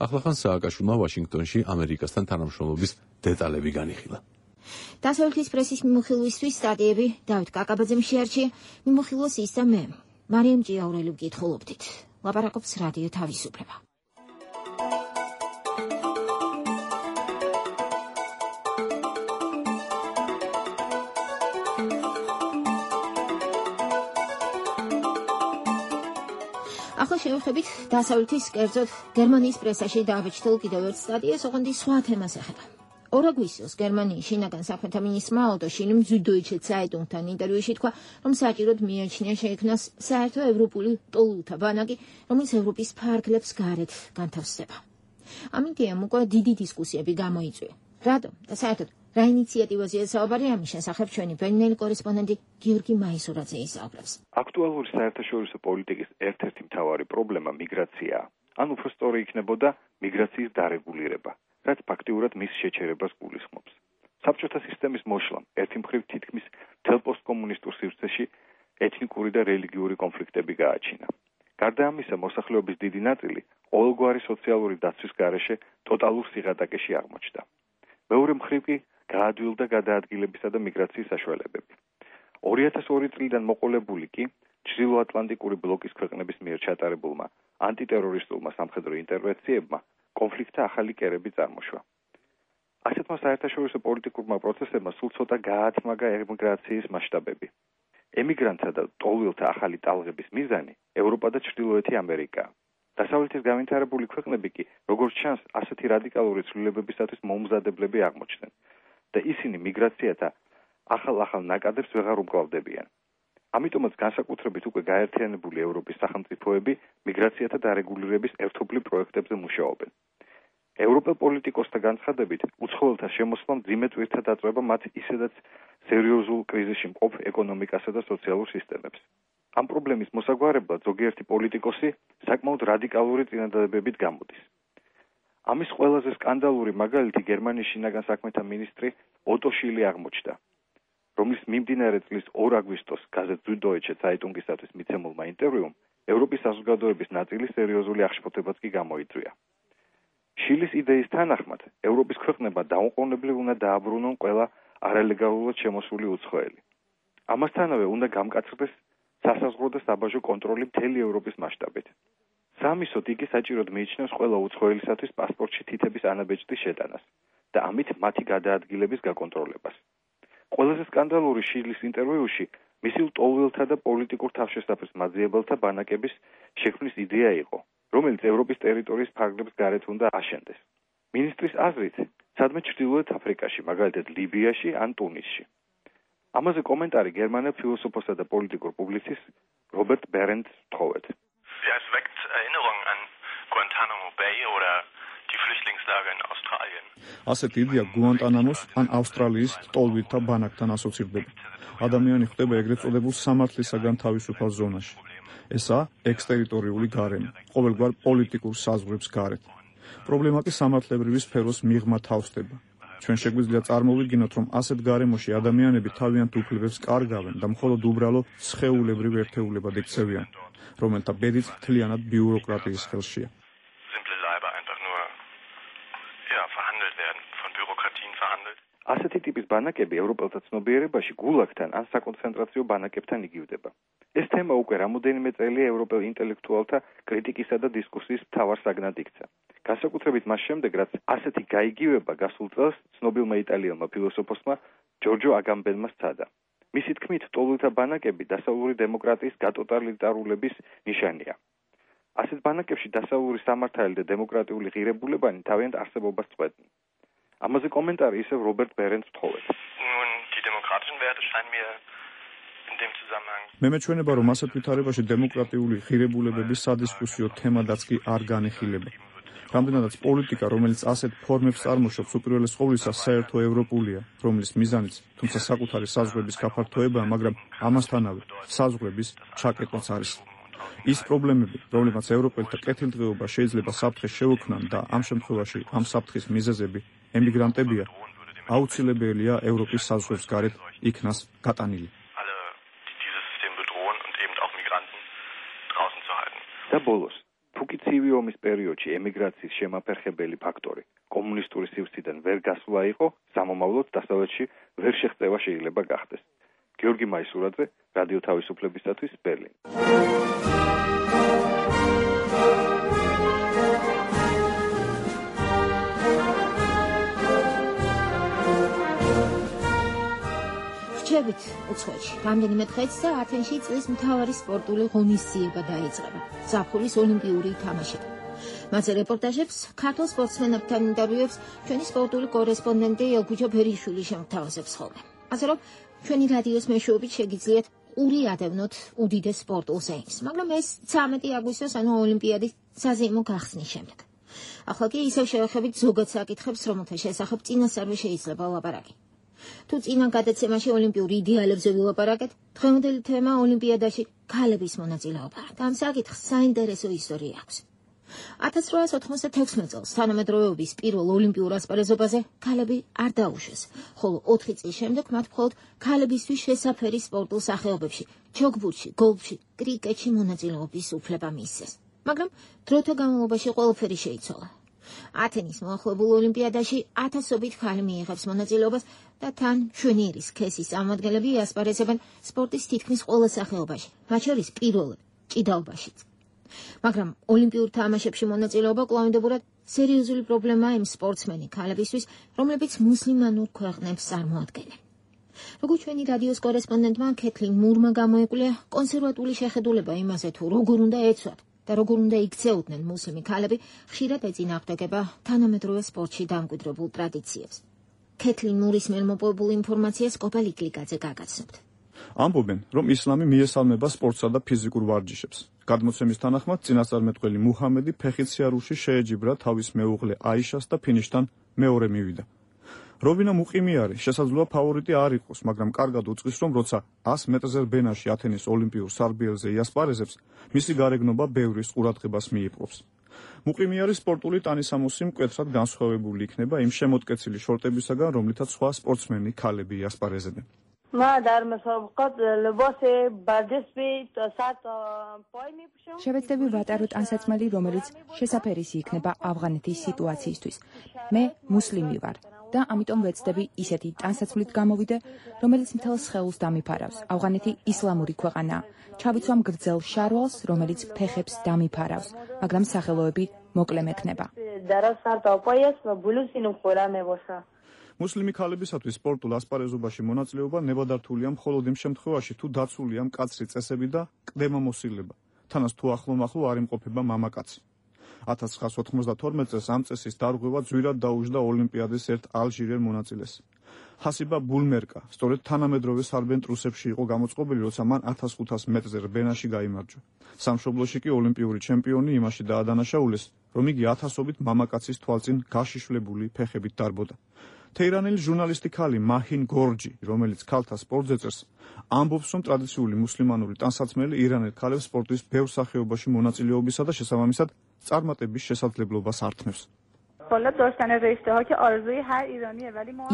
ახლახან სააკაშვილმა ვაშინგტონში ამერიკასთან თანამშრომლობის დეტალები განიხილა. დასავლეთის პრესის მიმოხილვისთვის სტატიები დავით კაკაბაძემ შეარჩია, მიმოხილვას ის და მე, მარიამ ჭიაურელი ვკითხულობდით. ლაპარაკობს რადიო თავისუფლება. ახლა შევეხებით დასავლეთის, კერძოდ გერმანიის პრესაში დააბეჭდილ კიდევ ერთ სტატიას, ოღონდ სხვა თემას ეხება. 2 აგვისტოს გერმანიის შინაგან საქმეთა მინისტრმა ოტო შილიმ Süddeutsche Zeitung-თან ინტერვიუში თქვა, რომ საჭიროდ მიაჩნია შეიქმნას საერთო ევროპული ტოლულთა ბანაკი, რომელიც ევროპის ფარგლებს გარეთ განთავსდება. ამ იდეამ უკვე დიდი დისკუსიები გამოიწვია. რატომ და საერთოდ რა ინიციატივაზეა საუბარი ამის შესახებ ჩვენი ბერძნელი კორესპონდენტი გიორგი მაისურაძე ისაუბრებს. აქტუალური საერთაშორისო პოლიტიკის ერთ-ერთი მთავარი პრობლემა მიგრაციაა. ან უფრო სწორი იქნებოდა მიგრაციის დარეგულირება, რაც ფაქტიურად მის შეჩერებას გულისხმობს. საბჭოთა სისტემის მოშლამ ერთი მხრივ თითქმის მთელ პოსტკომუნისტურ სივრცეში ეთნიკური და რელიგიური კონფლიქტები გააჩინა. გარდა ამისა, მოსახლეობის დიდი ნაწილი ყოველგვარი სოციალური დაცვის გარეშე ტოტალურ სიღატაკეში აღმოჩნდა. მეორე მხრივ კი გაადვილდა გადაადგილებისა და მიგრაციის საშუალებები. 2002 წლიდან მოყოლებული კი ჩრდილოატლანტიკური ბლოკის ქვეყნების მიერ ჩატარებულმა ანტიტერორისტულმა სამხედრო ინტერვენციებმა კონფლიქტთა ახალი კერები წარმოშვა. ასეთმა საერთაშორისო პოლიტიკურმა პროცესებმა სულ ცოტა გაათმაგა ემიგრაციის მასშტაბები. ემიგრანტთა და ტოლვილთა ახალი ტალღების მიზანი ევროპა და ჩრდილოეთი ამერიკაა. დასავლეთის განვითარებული ქვეყნები კი, როგორც ჩანს, ასეთი რადიკალური ცვლილებებისათვის მომზადებლები აღმოჩნდნენ და ისინი მიგრაციათა ახალ ნაკადებს ვეღარ უმკლავდებიან. ამიტომაც განსაკუთრებით უკვე გაერთიანებული ევროპის სახელმწიფოები მიგრაციათა დარეგულირების ერთობლივ პროექტებზე მუშაობენ. ევროპელ პოლიტიკოსთა განცხადებით, უცხოელთა შემოსვლა მძიმე ტვირთად დაწვება მათ ისედაც სერიოზულ კრიზისში მყოფ ეკონომიკასა და სოციალურ სისტემებს. ამ პრობლემის მოსაგვარებლად ზოგიერთი პოლიტიკოსი საკმაოდ რადიკალური წინადადებებით გამოდის. ამის ყველაზე სკანდალური მაგალითი გერმანიის შინაგან საქმეთა მინისტრი ოტო შილი აღმოჩნდა, რომლის მიმდინარე წლის 2 აგვისტოს გაზეთ Süddeutsche Zeitungისათვის მიცემულმა ინტერვიუმ ევროპის საზოგადოების ნაწილი სერიოზული აღშფოთებაც კი გამოიწვია. შილის იდეის თანახმად, ევროპის ქვეყნებმა დაუყოვნებლივ უნდა დააბრუნონ ყველა არალეგალურად შემოსული უცხოელი. ამასთანავე უნდა გამკაცრდეს სასაზღვრო და საბაჟო კონტროლი მთელი ევროპის მასშტაბით. სამისოდ იგი საჭიროდ მიიჩნევს ყველა უცხოელისათვის პასპორტში თითების ანაბეჭდის შეტანას და ამით მათი გადაადგილების გაკონტროლებას. ყველაზე სკანდალური შილის ინტერვიუში მისი ტოლვილთა და პოლიტიკურ თავშესაფრის მაძიებელთა ბანაკების შექმნის იდეა იყო, რომელიც ევროპის ტერიტორიის ფარგლებს გარეთ უნდა აშენდეს. მინისტრის აზრით, სადმე ჩრდილოეთ აფრიკაში, მაგალითად ლიბიაში ან ტუნისში. ამაზე კომენტარი გერმანელ ფილოსოფოსა და პოლიტიკურ პუბლიცისტ რობერტ ბერენდს თხოვეთ. Ja, es weckt Erinnerungen an Guantanamo Bay oder die Flüchtlingslager in Australien. ასეთი იდეა გუანტანამოს ან ავსტრალიის ტოლვილთა ბანაკთან ასოცირდება. ადამიანი ხდება ეგრეთ წოდებულ სამართლისაგან თავისუფალ ზონაში. ესაა ექსტერიტორიული გარემო, ყოველგვარ პოლიტიკურ საზღვრებს გარეთ. პრობლემა კი სამართლებრივი სფეროს მიღმა თავსდება. ჩვენ შეგვიძლია წარმოვიდგინოთ, რომ ასეთ გარემოში ადამიანები თავიანთ უფლებებს კარგავენ და მხოლოდ უბრალო სხეულებრივ ერთეულებად იქცევიან, რომელთა ბედიც მთლიანად ბიუროკრატიის ხელშია. ასეთი ტიპის ბანაკები ევროპელთა ცნობიერებაში გულაგთან ან საკონცენტრაციო ბანაკებთან იგივდება. ეს თემა უკვე რამოდენიმე წელია ევროპელ ინტელექტუალთა კრიტიკისა და დისკუსიის მთავარ საგნად იქცა. განსაკუთრებით მას შემდეგ, რაც ასეთი გაიგივება გასულ წელს ცნობილმა იტალიელმა ფილოსოფოსმა ჯორჯო აგამბენმა სცადა. მისი თქმით, ტოლვილთა ბანაკები დასავლური დემოკრატიის გატოტალიტარულების ნიშანია. ასეთ ბანაკებში დასავლური სამართალი და დემოკრატიული ღირებულებანი თავიანთ არსებობას წყვეტენ. ამაზე კომენტარი ისევ რობერტ ბერენდს თხოვეთ. მე მეჩვენება, რომ ასეთ ვითარებაში დემოკრატიული ღირებულებების სადისკუსიო თემადაც კი არ განიხილება. რამდენადაც პოლიტიკა, რომელიც ასეთ ფორმებს წარმოშობს, უპირველეს ყოვლისა საერთო ევროპულია, რომლის მიზანიც თუმცა საკუთარი საზღვრების გაფართოებაა, მაგრამ ამასთანავე საზღვრების ჩაკეტვაც არის. ის პრობლემები, რომლებიც ევროპელთა კეთილდღეობა შეიძლება საფრთხეს შეუქმნან და ამ შემთხვევაში ამ საფრთხის მიზეზები ემიგრანტებია, აუცილებელია ევროპის საზღვრებს გარეთ იქნას გატანილი. და ბოლოს, თუკი ცივი ომის პერიოდში ემიგრაციის შემაფერხებელი ფაქტორი კომუნისტური სივრციდან ვერ გასვლა იყო, სამომავლოდ დასავლეთში ვერ შეღწევა შეიძლება გახდეს. გიორგი მაისურაძე, რადიო თავისუფლებისათვის, ბერლინ. რჩებით უცხოეთში. რამდენიმე დღეც და ათენში წლის მთავარი სპორტული ღონისძიება დაიწყება. ზაფხულის ოლიმპიური თამაშები. მასზე რეპორტაჟებს, ქართულ სპორტსმენებთან ინტერვიუებს ჩვენი სპორტული კორესპონდენტი ელგუჯო ფერიშვილი შემოგთავაზებს ხოლმე. ასე რომ, ჩვენი რადიოს მეშვეობით შეგიძლიათ ყური ადევნოთ უდიდეს სპორტულ ზეიმს, მაგრამ ეს 13 აგვისტოს, ანუ ოლიმპიადის საზეიმო გახსნის შემდეგ. ახლა კი ისევ შევეხებით ზოგად საკითხებს, რომელთა შესახებ წინასწარვე შეიძლება ვლაპარაკი. თუ წინა გადაცემაში ოლიმპიური იდეალებზე ვილაპარაკეთ, დღევანდელი თემა ოლიმპიადაში ქალების მონაწილეობა. ამ საკითხს საინტერესო ისტორია აქვს. 1896 წელს თანამედროვეობის პირველ ოლიმპიურ ასპარეზობაზე ქალები არ დაუშვეს, ხოლო 4 წლის შემდეგ მათ მხოლოდ ქალებისთვის შესაფერი სპორტულ სახეობებში, ჩოგბურთში, გოლფში, კრიკეტში მონაწილეობის უფლება მისცეს. მაგრამ დროთა განმავლობაში ყველაფერი შეიცვალა. ათენის მოახლებულ ოლიმპიადაში ათასობით ხალი მიიღებს მონაწილეობას და თან ჩვენი სქესის წარმომადგენლები იასპარეზებენ სპორტის თითქმის ყველა სახეობაში, მათ შორის პირველად ჭიდაობაშიც. მაგრამ ოლიმპიურ თამაშებში მონაწილეობა კვლავინდებურად სერიოზული პრობლემაა იმ სპორტსმენი ქალებისთვის, რომლებიც მუსლიმანურ ქვეყნებს წარმოადგენენ. როგორც ჩვენი რადიოს კორესპონდენტმა კეთლინ მურმა გამოიკვლია, კონსერვატული შეხედულება იმაზე თუ როგორ უნდა ეცვათ და როგორ უნდა იქცეოდნენ მუსლიმი ქალები, ხშირად ეწინააღმდეგება თანამედროვე სპორტში დამკვიდრებულ ტრადიციებს. კეთლინ მურის მიერ მოპოვებულ ინფორმაციას კოპალ იკლიკაძე გაგაცნობთ. ამბობენ, რომ ისლამი მიესალმება სპორტსა და ფიზიკურ ვარჯიშებს. გადმოცემის თანახმად წინასწარმეტყველი მუჰამედი ფეხით სიარულში შეეჯიბრა თავის მეუღლე აიშას და ფინიშთან მეორე მივიდა. რობინა მუყიმიარი შესაძლოა ფავორიტი არ იყოს, მაგრამ კარგად უწყის, რომ როცა 100 მეტრზე რბენაში ათენის ოლიმპიურ სარბიელზე იასპარეზებს, მისი გარეგნობა ბევრის ყურადღებას მიიპყრობს. მუყიმიარი სპორტული ტანისამოსი მკვეთრად განსხვავებული იქნება იმ შემოდგեցილი შორტებისაგან, რომლითაც სხვა სპორტსმენი ქალები იასპარეზებენ. შევეცდები ვატარო ტანსაცმელი, რომელიც შესაფერისი იქნება ავღანეთის სიტუაციისთვის. მე მუსლიმი ვარ და ამიტომ ვეცდები ისეთი ტანსაცმლით გამოვიდე, რომელიც მთელ სხეულს დამიფარავს. ავღანეთი ისლამური ქვეყანაა. ჩავიცვამ გრძელ შარვალს, რომელიც ფეხებს დამიფარავს, მაგრამ სახელოები მოკლე მექნება. მუსლიმი ქალებისათვის სპორტულ ასპარეზობაში მონაწილეობა ნებადართულია მხოლოდ იმ შემთხვევაში, თუ დაცულია მკაცრი წესები და კდემამოსილება. თანაც თუ ახლომახლო არ იმყოფება მამაკაცი. 1992 წელს ამ წესის დარღვევა ძვირად დაუჯდა ოლიმპიადის ერთ ალჟირელ მონაწილეს. ჰასიბა ბულმერკა სწორედ თანამედროვე სარბენ-ტრუსებში იყო გამოწყობილი, როცა მან 1500 მეტრზე რბენაში გაიმარჯვა. სამშობლოში კი ოლიმპიური ჩემპიონი იმაში დაადანაშაულეს, რომ იგი ათასობით მამაკაცის თვალწინ გაშიშვლებული ფეხებით დარბოდა. თეირანელი ჟურნალისტი ქალი მაჰინ გორჯი, რომელიც ქალთა სპორტზე წერს, ამბობს, რომ ტრადიციული მუსლიმანური ტანსაცმელი ირანელ ქალებს სპორტის ბევრ სახეობაში მონაწილეობისა და შესაბამისად წარმატების შესაძლებლობას ართმევს.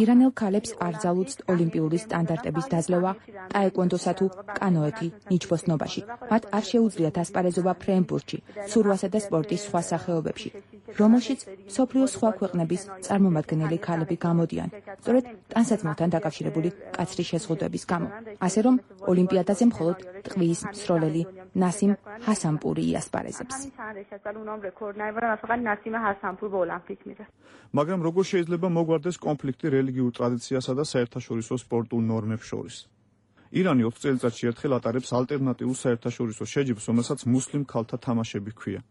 ირანელ ქალებს არ ძალუძთ ოლიმპიური სტანდარტების დაძლევა ტაეკვონდოსა თუ კანოეთი ნიჩბოსნობაში. მათ არ შეუძლიათ ასპარეზობა ფრენბურთში, ცურვასა და სპორტის სხვა სახეობებში, რომელშიც მსოფლიოს სხვა ქვეყნების წარმომადგენელი ქალები გამოდიან, სწორედ ტანსაცმელთან დაკავშირებული მკაცრი შეზღუდვების გამო. ასე რომ ოლიმპიადაზე მხოლოდ ტყვის მსროლელი ნასიმ ჰასანპური იასპარეზებს. მაგრამ როგორ შეიძლება მოგვარდეს კონფლიქტი რელიგიურ ტრადიციასა და საერთაშორისო სპორტულ ნორმებს შორის? ირანი 20 წელიწადში ერთხელ ატარებს ალტერნატიულ საერთაშორისო შეჯიბრს, რომელსაც მუსლიმ ქალთა თამაშები ჰქვია.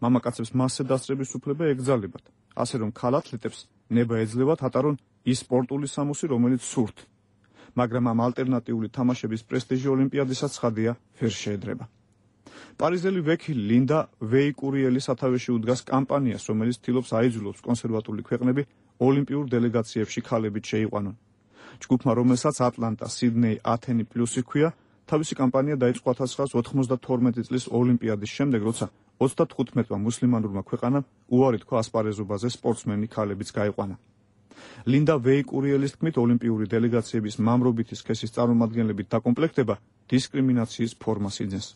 მამაკაცებს მასზე დასწრების უფლება ეგზალებათ, ასე რომ ქალ ათლეტებს ნება ეძლევათ ატარონ ის სპორტული სამოსი, რომელიც სურთ. მაგრამ ამ ალტერნატიული თამაშების პრესტიჟი ოლიმპიადისაც ცხადია ვერ შეედრება. პარიზელი ვექილი ლინდა ვეიკურიელი სათავეში უდგას კამპანიას, რომელიც ცდილობს აიძულოს კონსერვატული ქვეყნები ოლიმპიურ დელეგაციებში ქალებით შეიყვანონ. ჯგუფმა, რომელსაც ატლანტა, სიდნეი, ათენი პლუსი ჰქვია, თავისი კამპანია დაიწყო 1992 წლის ოლიმპიადის შემდეგ, როცა 35-მა მუსლიმანურმა ქვეყანამ უარი თქვა ასპარეზობაზე სპორტსმენი ქალებიც გაიყვანა. ლინდა ვეიკურიელის თქმით, ოლიმპიური დელეგაციების მამრობითი სქესის წარმომადგენლებით დაკომპლექტება დისკრიმინაციის ფორმას იძენს.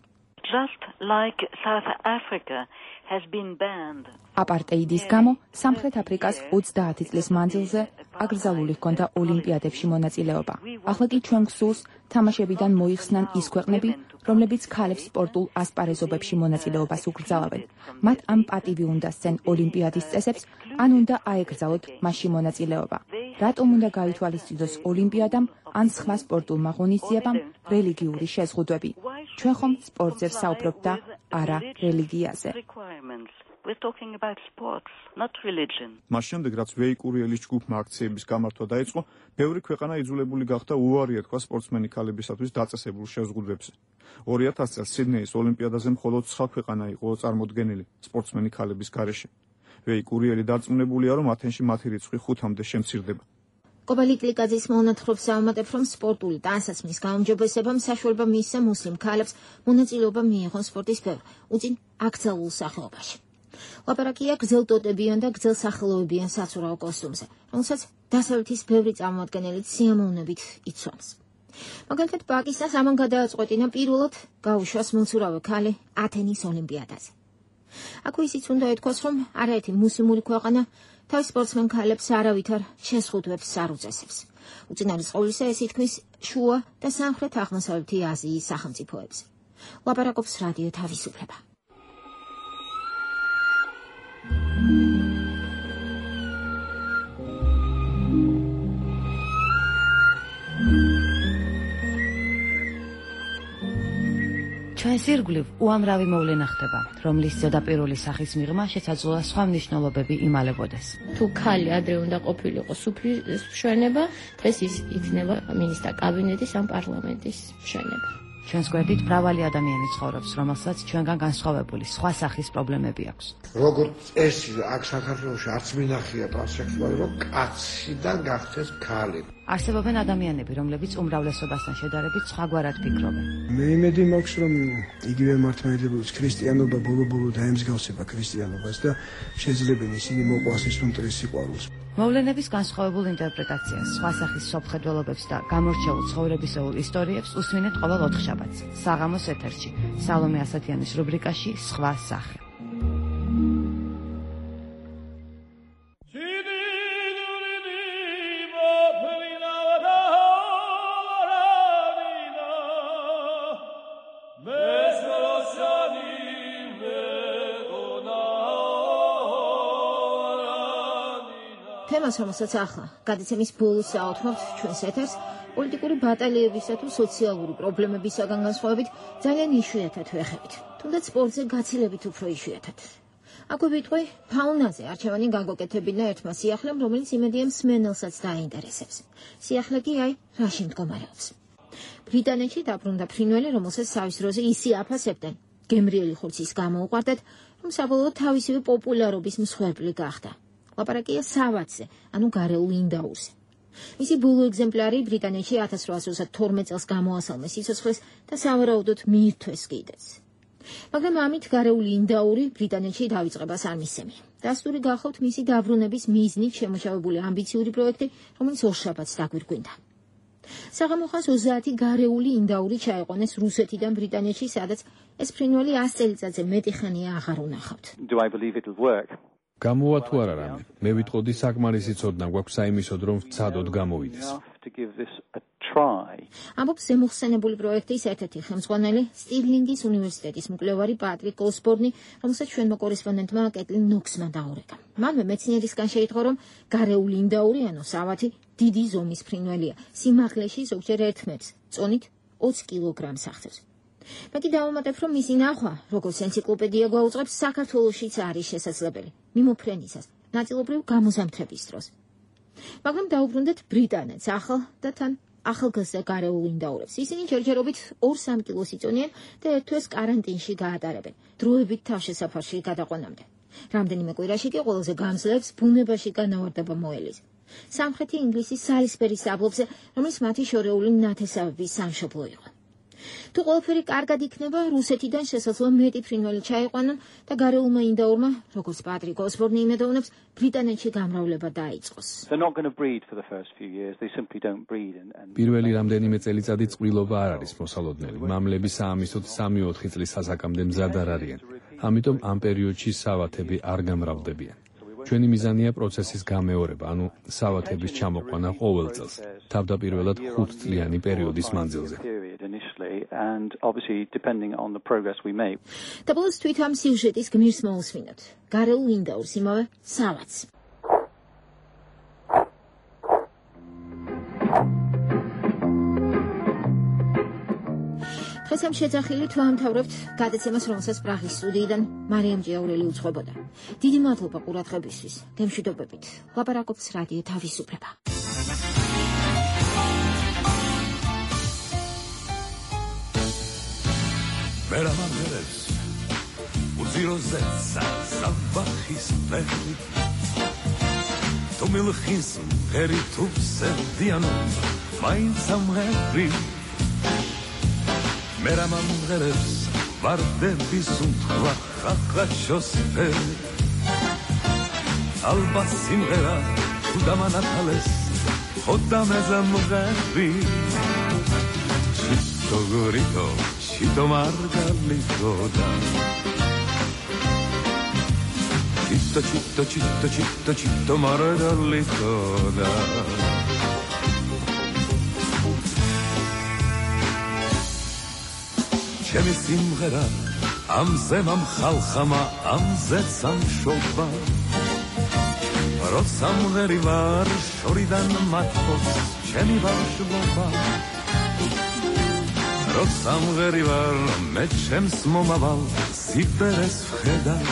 Just like South Africa has been banned. აპარტეიდის გამო სამხრეთ აფრიკას 30 წლის მანძილზე აკრძალული ჰქონდა ოლიმპიადებში მონაწილეობა. ახლა კი ჩვენ გსურს თამაშებიდან მოიხსნან ის ქვეყნები, რომლებიც ქალებს სპორტულ ასპარეზობებში მონაწილეობას უკრძალავენ. მათ ამ პატივი უნდა სცენ ოლიმპიადის წესებს, ან უნდა აეკრძალოთ მასში მონაწილეობა. რატომ უნდა გაითვალისწინოს ოლიმპიადამ ან სხვა სპორტულმა ღონისძიებამ რელიგიური შეზღუდვები? ჩვენ ხომ სპორტზე ვსაუბრობთ და არა რელიგიაზე. We're talking about sports, not religion. მას შემდეგ, რაც ვეიკურიელის ჯგუფმა აქციების გამართვა დაიწყო, ბევრი ქვეყანა იძულებული გახდა უარი ეთქვა სპორტსმენი ქალებისათვის დაწესებულ შეზღუდვებს. 2000 წელს სიდნეის ოლიმპიადაზე მხოლოდ 9 ქვეყანა იყო წარმოდგენილი სპორტსმენი ქალების გარეშე. ვეიკურიელი დარწმუნებულია, რომ ათენში მათი რიცხვი 5-მდე შემცირდება. კოპალ იკლიკაძის მონათხრობს ავამატებ, რომ სპორტული ტანსაცმლის გაუმჯობესებამ საშუალება მისცა მუსლიმ ქალებს მონაწილეობა მიიღონ სპორტის ბევრ უწინ აკრძალულ სახეობაში. ლაპარაკია გრძელ ტოტებიან და გრძელ სახელოებიან საცურაო კოსტუმზე, რომელსაც დასავლეთის ბევრი წარმოადგენელი სიამოვნებით იცვამს. მაგალითად, პაკისტანს ამან გადააწყვეტინა პირველად გაუშვას მოცურავე ქალი ათენის ოლიმპიადაზე. აქ ისიც უნდა ეთქვას, რომ არაერთი მუსლიმური ქვეყანა თავის სპორტსმენ ქალებს არავითარ შეზღუდვებს არ უწესებს. უწინარის ყოვლისა ეს ითქმის შუა და სამხრეთ აღმოსავლეთი აზიის სახელმწიფოებზე. ლაპარაკობს რადიო თავისუფლება. ჩვენს ირგვლივ უამრავი მოვლენა ხდება, რომლის ზედაპირული სახის მიღმა შესაძლოა სხვა მნიშვნელობები იმალებოდეს. თუ ქალი ადრე უნდა ყოფილიყო სუფლის მშვენება, დღეს ის იქნება მინისტრთა კაბინეტის ან პარლამენტის მშვენება. ჩვენს გვერდით მრავალი ადამიანი ცხოვრობს, რომელსაც ჩვენგან განსხვავებული სხვა სახის პრობლემები აქვს. როგორც წესი, აქ საქართველოში არც მინახია ტრანსექსუალი, რომ კაციდან გახდეს ქალი. არსებობენ ადამიანები, რომლებიც უმრავლესობასთან შედარებით სხვაგვარად ფიქრობენ. მე იმედი მაქვს, რომ იგივე მართლმადიდებლობის ქრისტიანობა ბოლო-ბოლო დაემსგავსება ქრისტიანობას და შეძლებენ ისინი მოყვას ის უმტრის სიყვარულს. მოვლენების განსხვავებულ ინტერპრეტაციას, სხვა სახის სოფხედველობებს და გამორჩეულ ცხოვრებისეულ ისტორიებს უსმინეთ ყოველ ოთხშაბათს, საღამოს ეთერში, სალომე ასათიანის რუბრიკაში სხვა სახე. თემას, რომელსაც ახლა გადაცემის ბოლოს აოთმობთ ჩვენს ეთერს, პოლიტიკური ბატალიებისა თუ სოციალური პრობლემებისაგან განსხვავებით ძალიან იშვიათად ვეხებით, თუნდაც სპორტზე გაცილებით უფრო იშვიათად. აქვე ვიტყვი ფაუნაზე არჩევანი გაგოკეთებინა ერთმა სიახლემ, რომელიც იმედია მსმენელსაც დააინტერესებს. სიახლე კი აი რაში მდგომარეობს. ბრიტანეთში დაბრუნდა ფრინველი, რომელსაც სავის დროზე ისე აფასებდნენ, გემრიელი ხორცის გამო უყვარდათ, რომ საბოლოოდ თავისივე პოპულარობის მსხვერპლი გახდა. ლაპარაკია სავათზე, ანუ გარეულ ინდაურზე. მისი ბოლო ეგზემპლარი ბრიტანეთში 1812 წელს გამოასალმე სიცოცხლეს და სავარაუდოდ მიირთვეს კიდეც. მაგრამ ამით გარეული ინდაური ბრიტანეთში დავიწყებას არ მისცემი. დასტური გახავთ მისი დაბრუნების მიზნით შემოშავებული ამბიციური პროექტი, რომელიც ორშაბათს დაგვირგვინდა. საღამოხანს 30 გარეული ინდაური ჩაიყვანეს რუსეთიდან ბრიტანეთში, სადაც ეს ფრინველი 100 წელიწადზე მეტი ხანია აღარ უნახავთ. გამოვა თუ არა რამე? მე ვიტყოდი საკმარისი ცოდნა გვაქვს საიმისოდ, რომ ვცადოთ გამოვიდეს. ამბობს ზემოხსენებული პროექტის ერთ-ერთი ხელმძღვანელი, სტირლინგის უნივერსიტეტის მკვლევარი პატრიკ ოსბორნი, რომელსაც ჩვენმა კორესპონდენტმა კეტლინ ნოქსმა დაურეკა. მანვე მეცნიერისგან შეიტყო, რომ გარეული ინდაური, ანუ სავათი, დიდი ზომის ფრინველია, სიმაღლეში ზოგჯერ 1 მეტრს, წონით 20 კილოგრამს აღწევს. მე კი დავუმატებ, რომ მისი ნახვა, როგორც ენციკლოპედია გვაუწყებს, საქართველოშიც არის შესაძლებელი, მიმოფრენისას, ნაწილობრივ გამოზამთრების დროს. მაგრამ დაუბრუნდეთ ბრიტანეთს, ახალ და თან ახალგაზრდა გარეულ ინდაურებს. ისინი ჯერჯერობით 2-3 კილოს იწონიან და ერთ თვეს კარანტინში გაატარებენ, დროებით თავშესაფარში გადაყვანამდე. რამდენიმე კვირაში კი ყველაზე გამძლეებს ბუნებაში განავარდება მოელის. სამხრეთი ინგლისის სალისბერის დაბლობზე, რომელიც მათი შორეული ნათესავების სამშობლო იყო. თუ ყველაფერი კარგად იქნება, რუსეთიდან შესაძლოა მეტი ფრინველი ჩაიყვანონ და გარეულმა ინდაურმა, როგორც პატრიკ ოსბორნი იმედოვნებს, ბრიტანეთში გამრავლება დაიწყოს. პირველი რამდენიმე წელიწადი წყვილობა არ არის მოსალოდნელი. მამლები საამისოდ 3-4 წლის ასაკამდე მზად არ არიან. ამიტომ ამ პერიოდში სავათები არ გამრავლდებიან. ჩვენი მიზანია პროცესის გამეორება, ანუ სავათების ჩამოყვანა ყოველ წელს, თავდაპირველად 5 წლიანი პერიოდის მანძილზე. და ბოლოს თვით ამ სიუჟეტის გმირს მოусმინოთ. გარეულ ინდაურს, იმავე სავათს. დღეს ამ შეძახილით ვამთავრებთ გადაცემას, რომელსაც პრაღის სტუდიიდან მარიამ ჭიაურელი უძღვებოდა. დიდი მადლობა ყურადღებისთვის. გემშვიდობებით. ლაპარაკობს რადიო თავისუფლება. მერამამერებს უძიროზეცა საბახის ფერი თუ მილხის მღერი თუ სერდიანო მაინც ამღერი მერამამერებს ვარდების უთქვა ხახაშოს ფერი ალბათ სიმღერა თუ დამანათალეს ხოდამეზე მღერი ჩიტო გორიტო Chito Margarito da Citto mare dall'itoda Ჩემი სიმღერა ამზე მომხალხამა ამზე სამშობა როცა მღერი ვარ შორიდან მათქოს ჩემი ბავშვობა როცა მღერი ვარ მე ჩემს მომავალ სიბერეს ვხედავ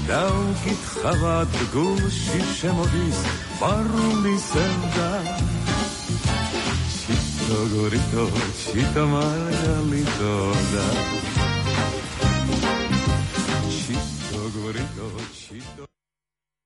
და უკითხავად გულში შემოდის პარული სევდა Gorito, chita margalito da. Chito gorito, chito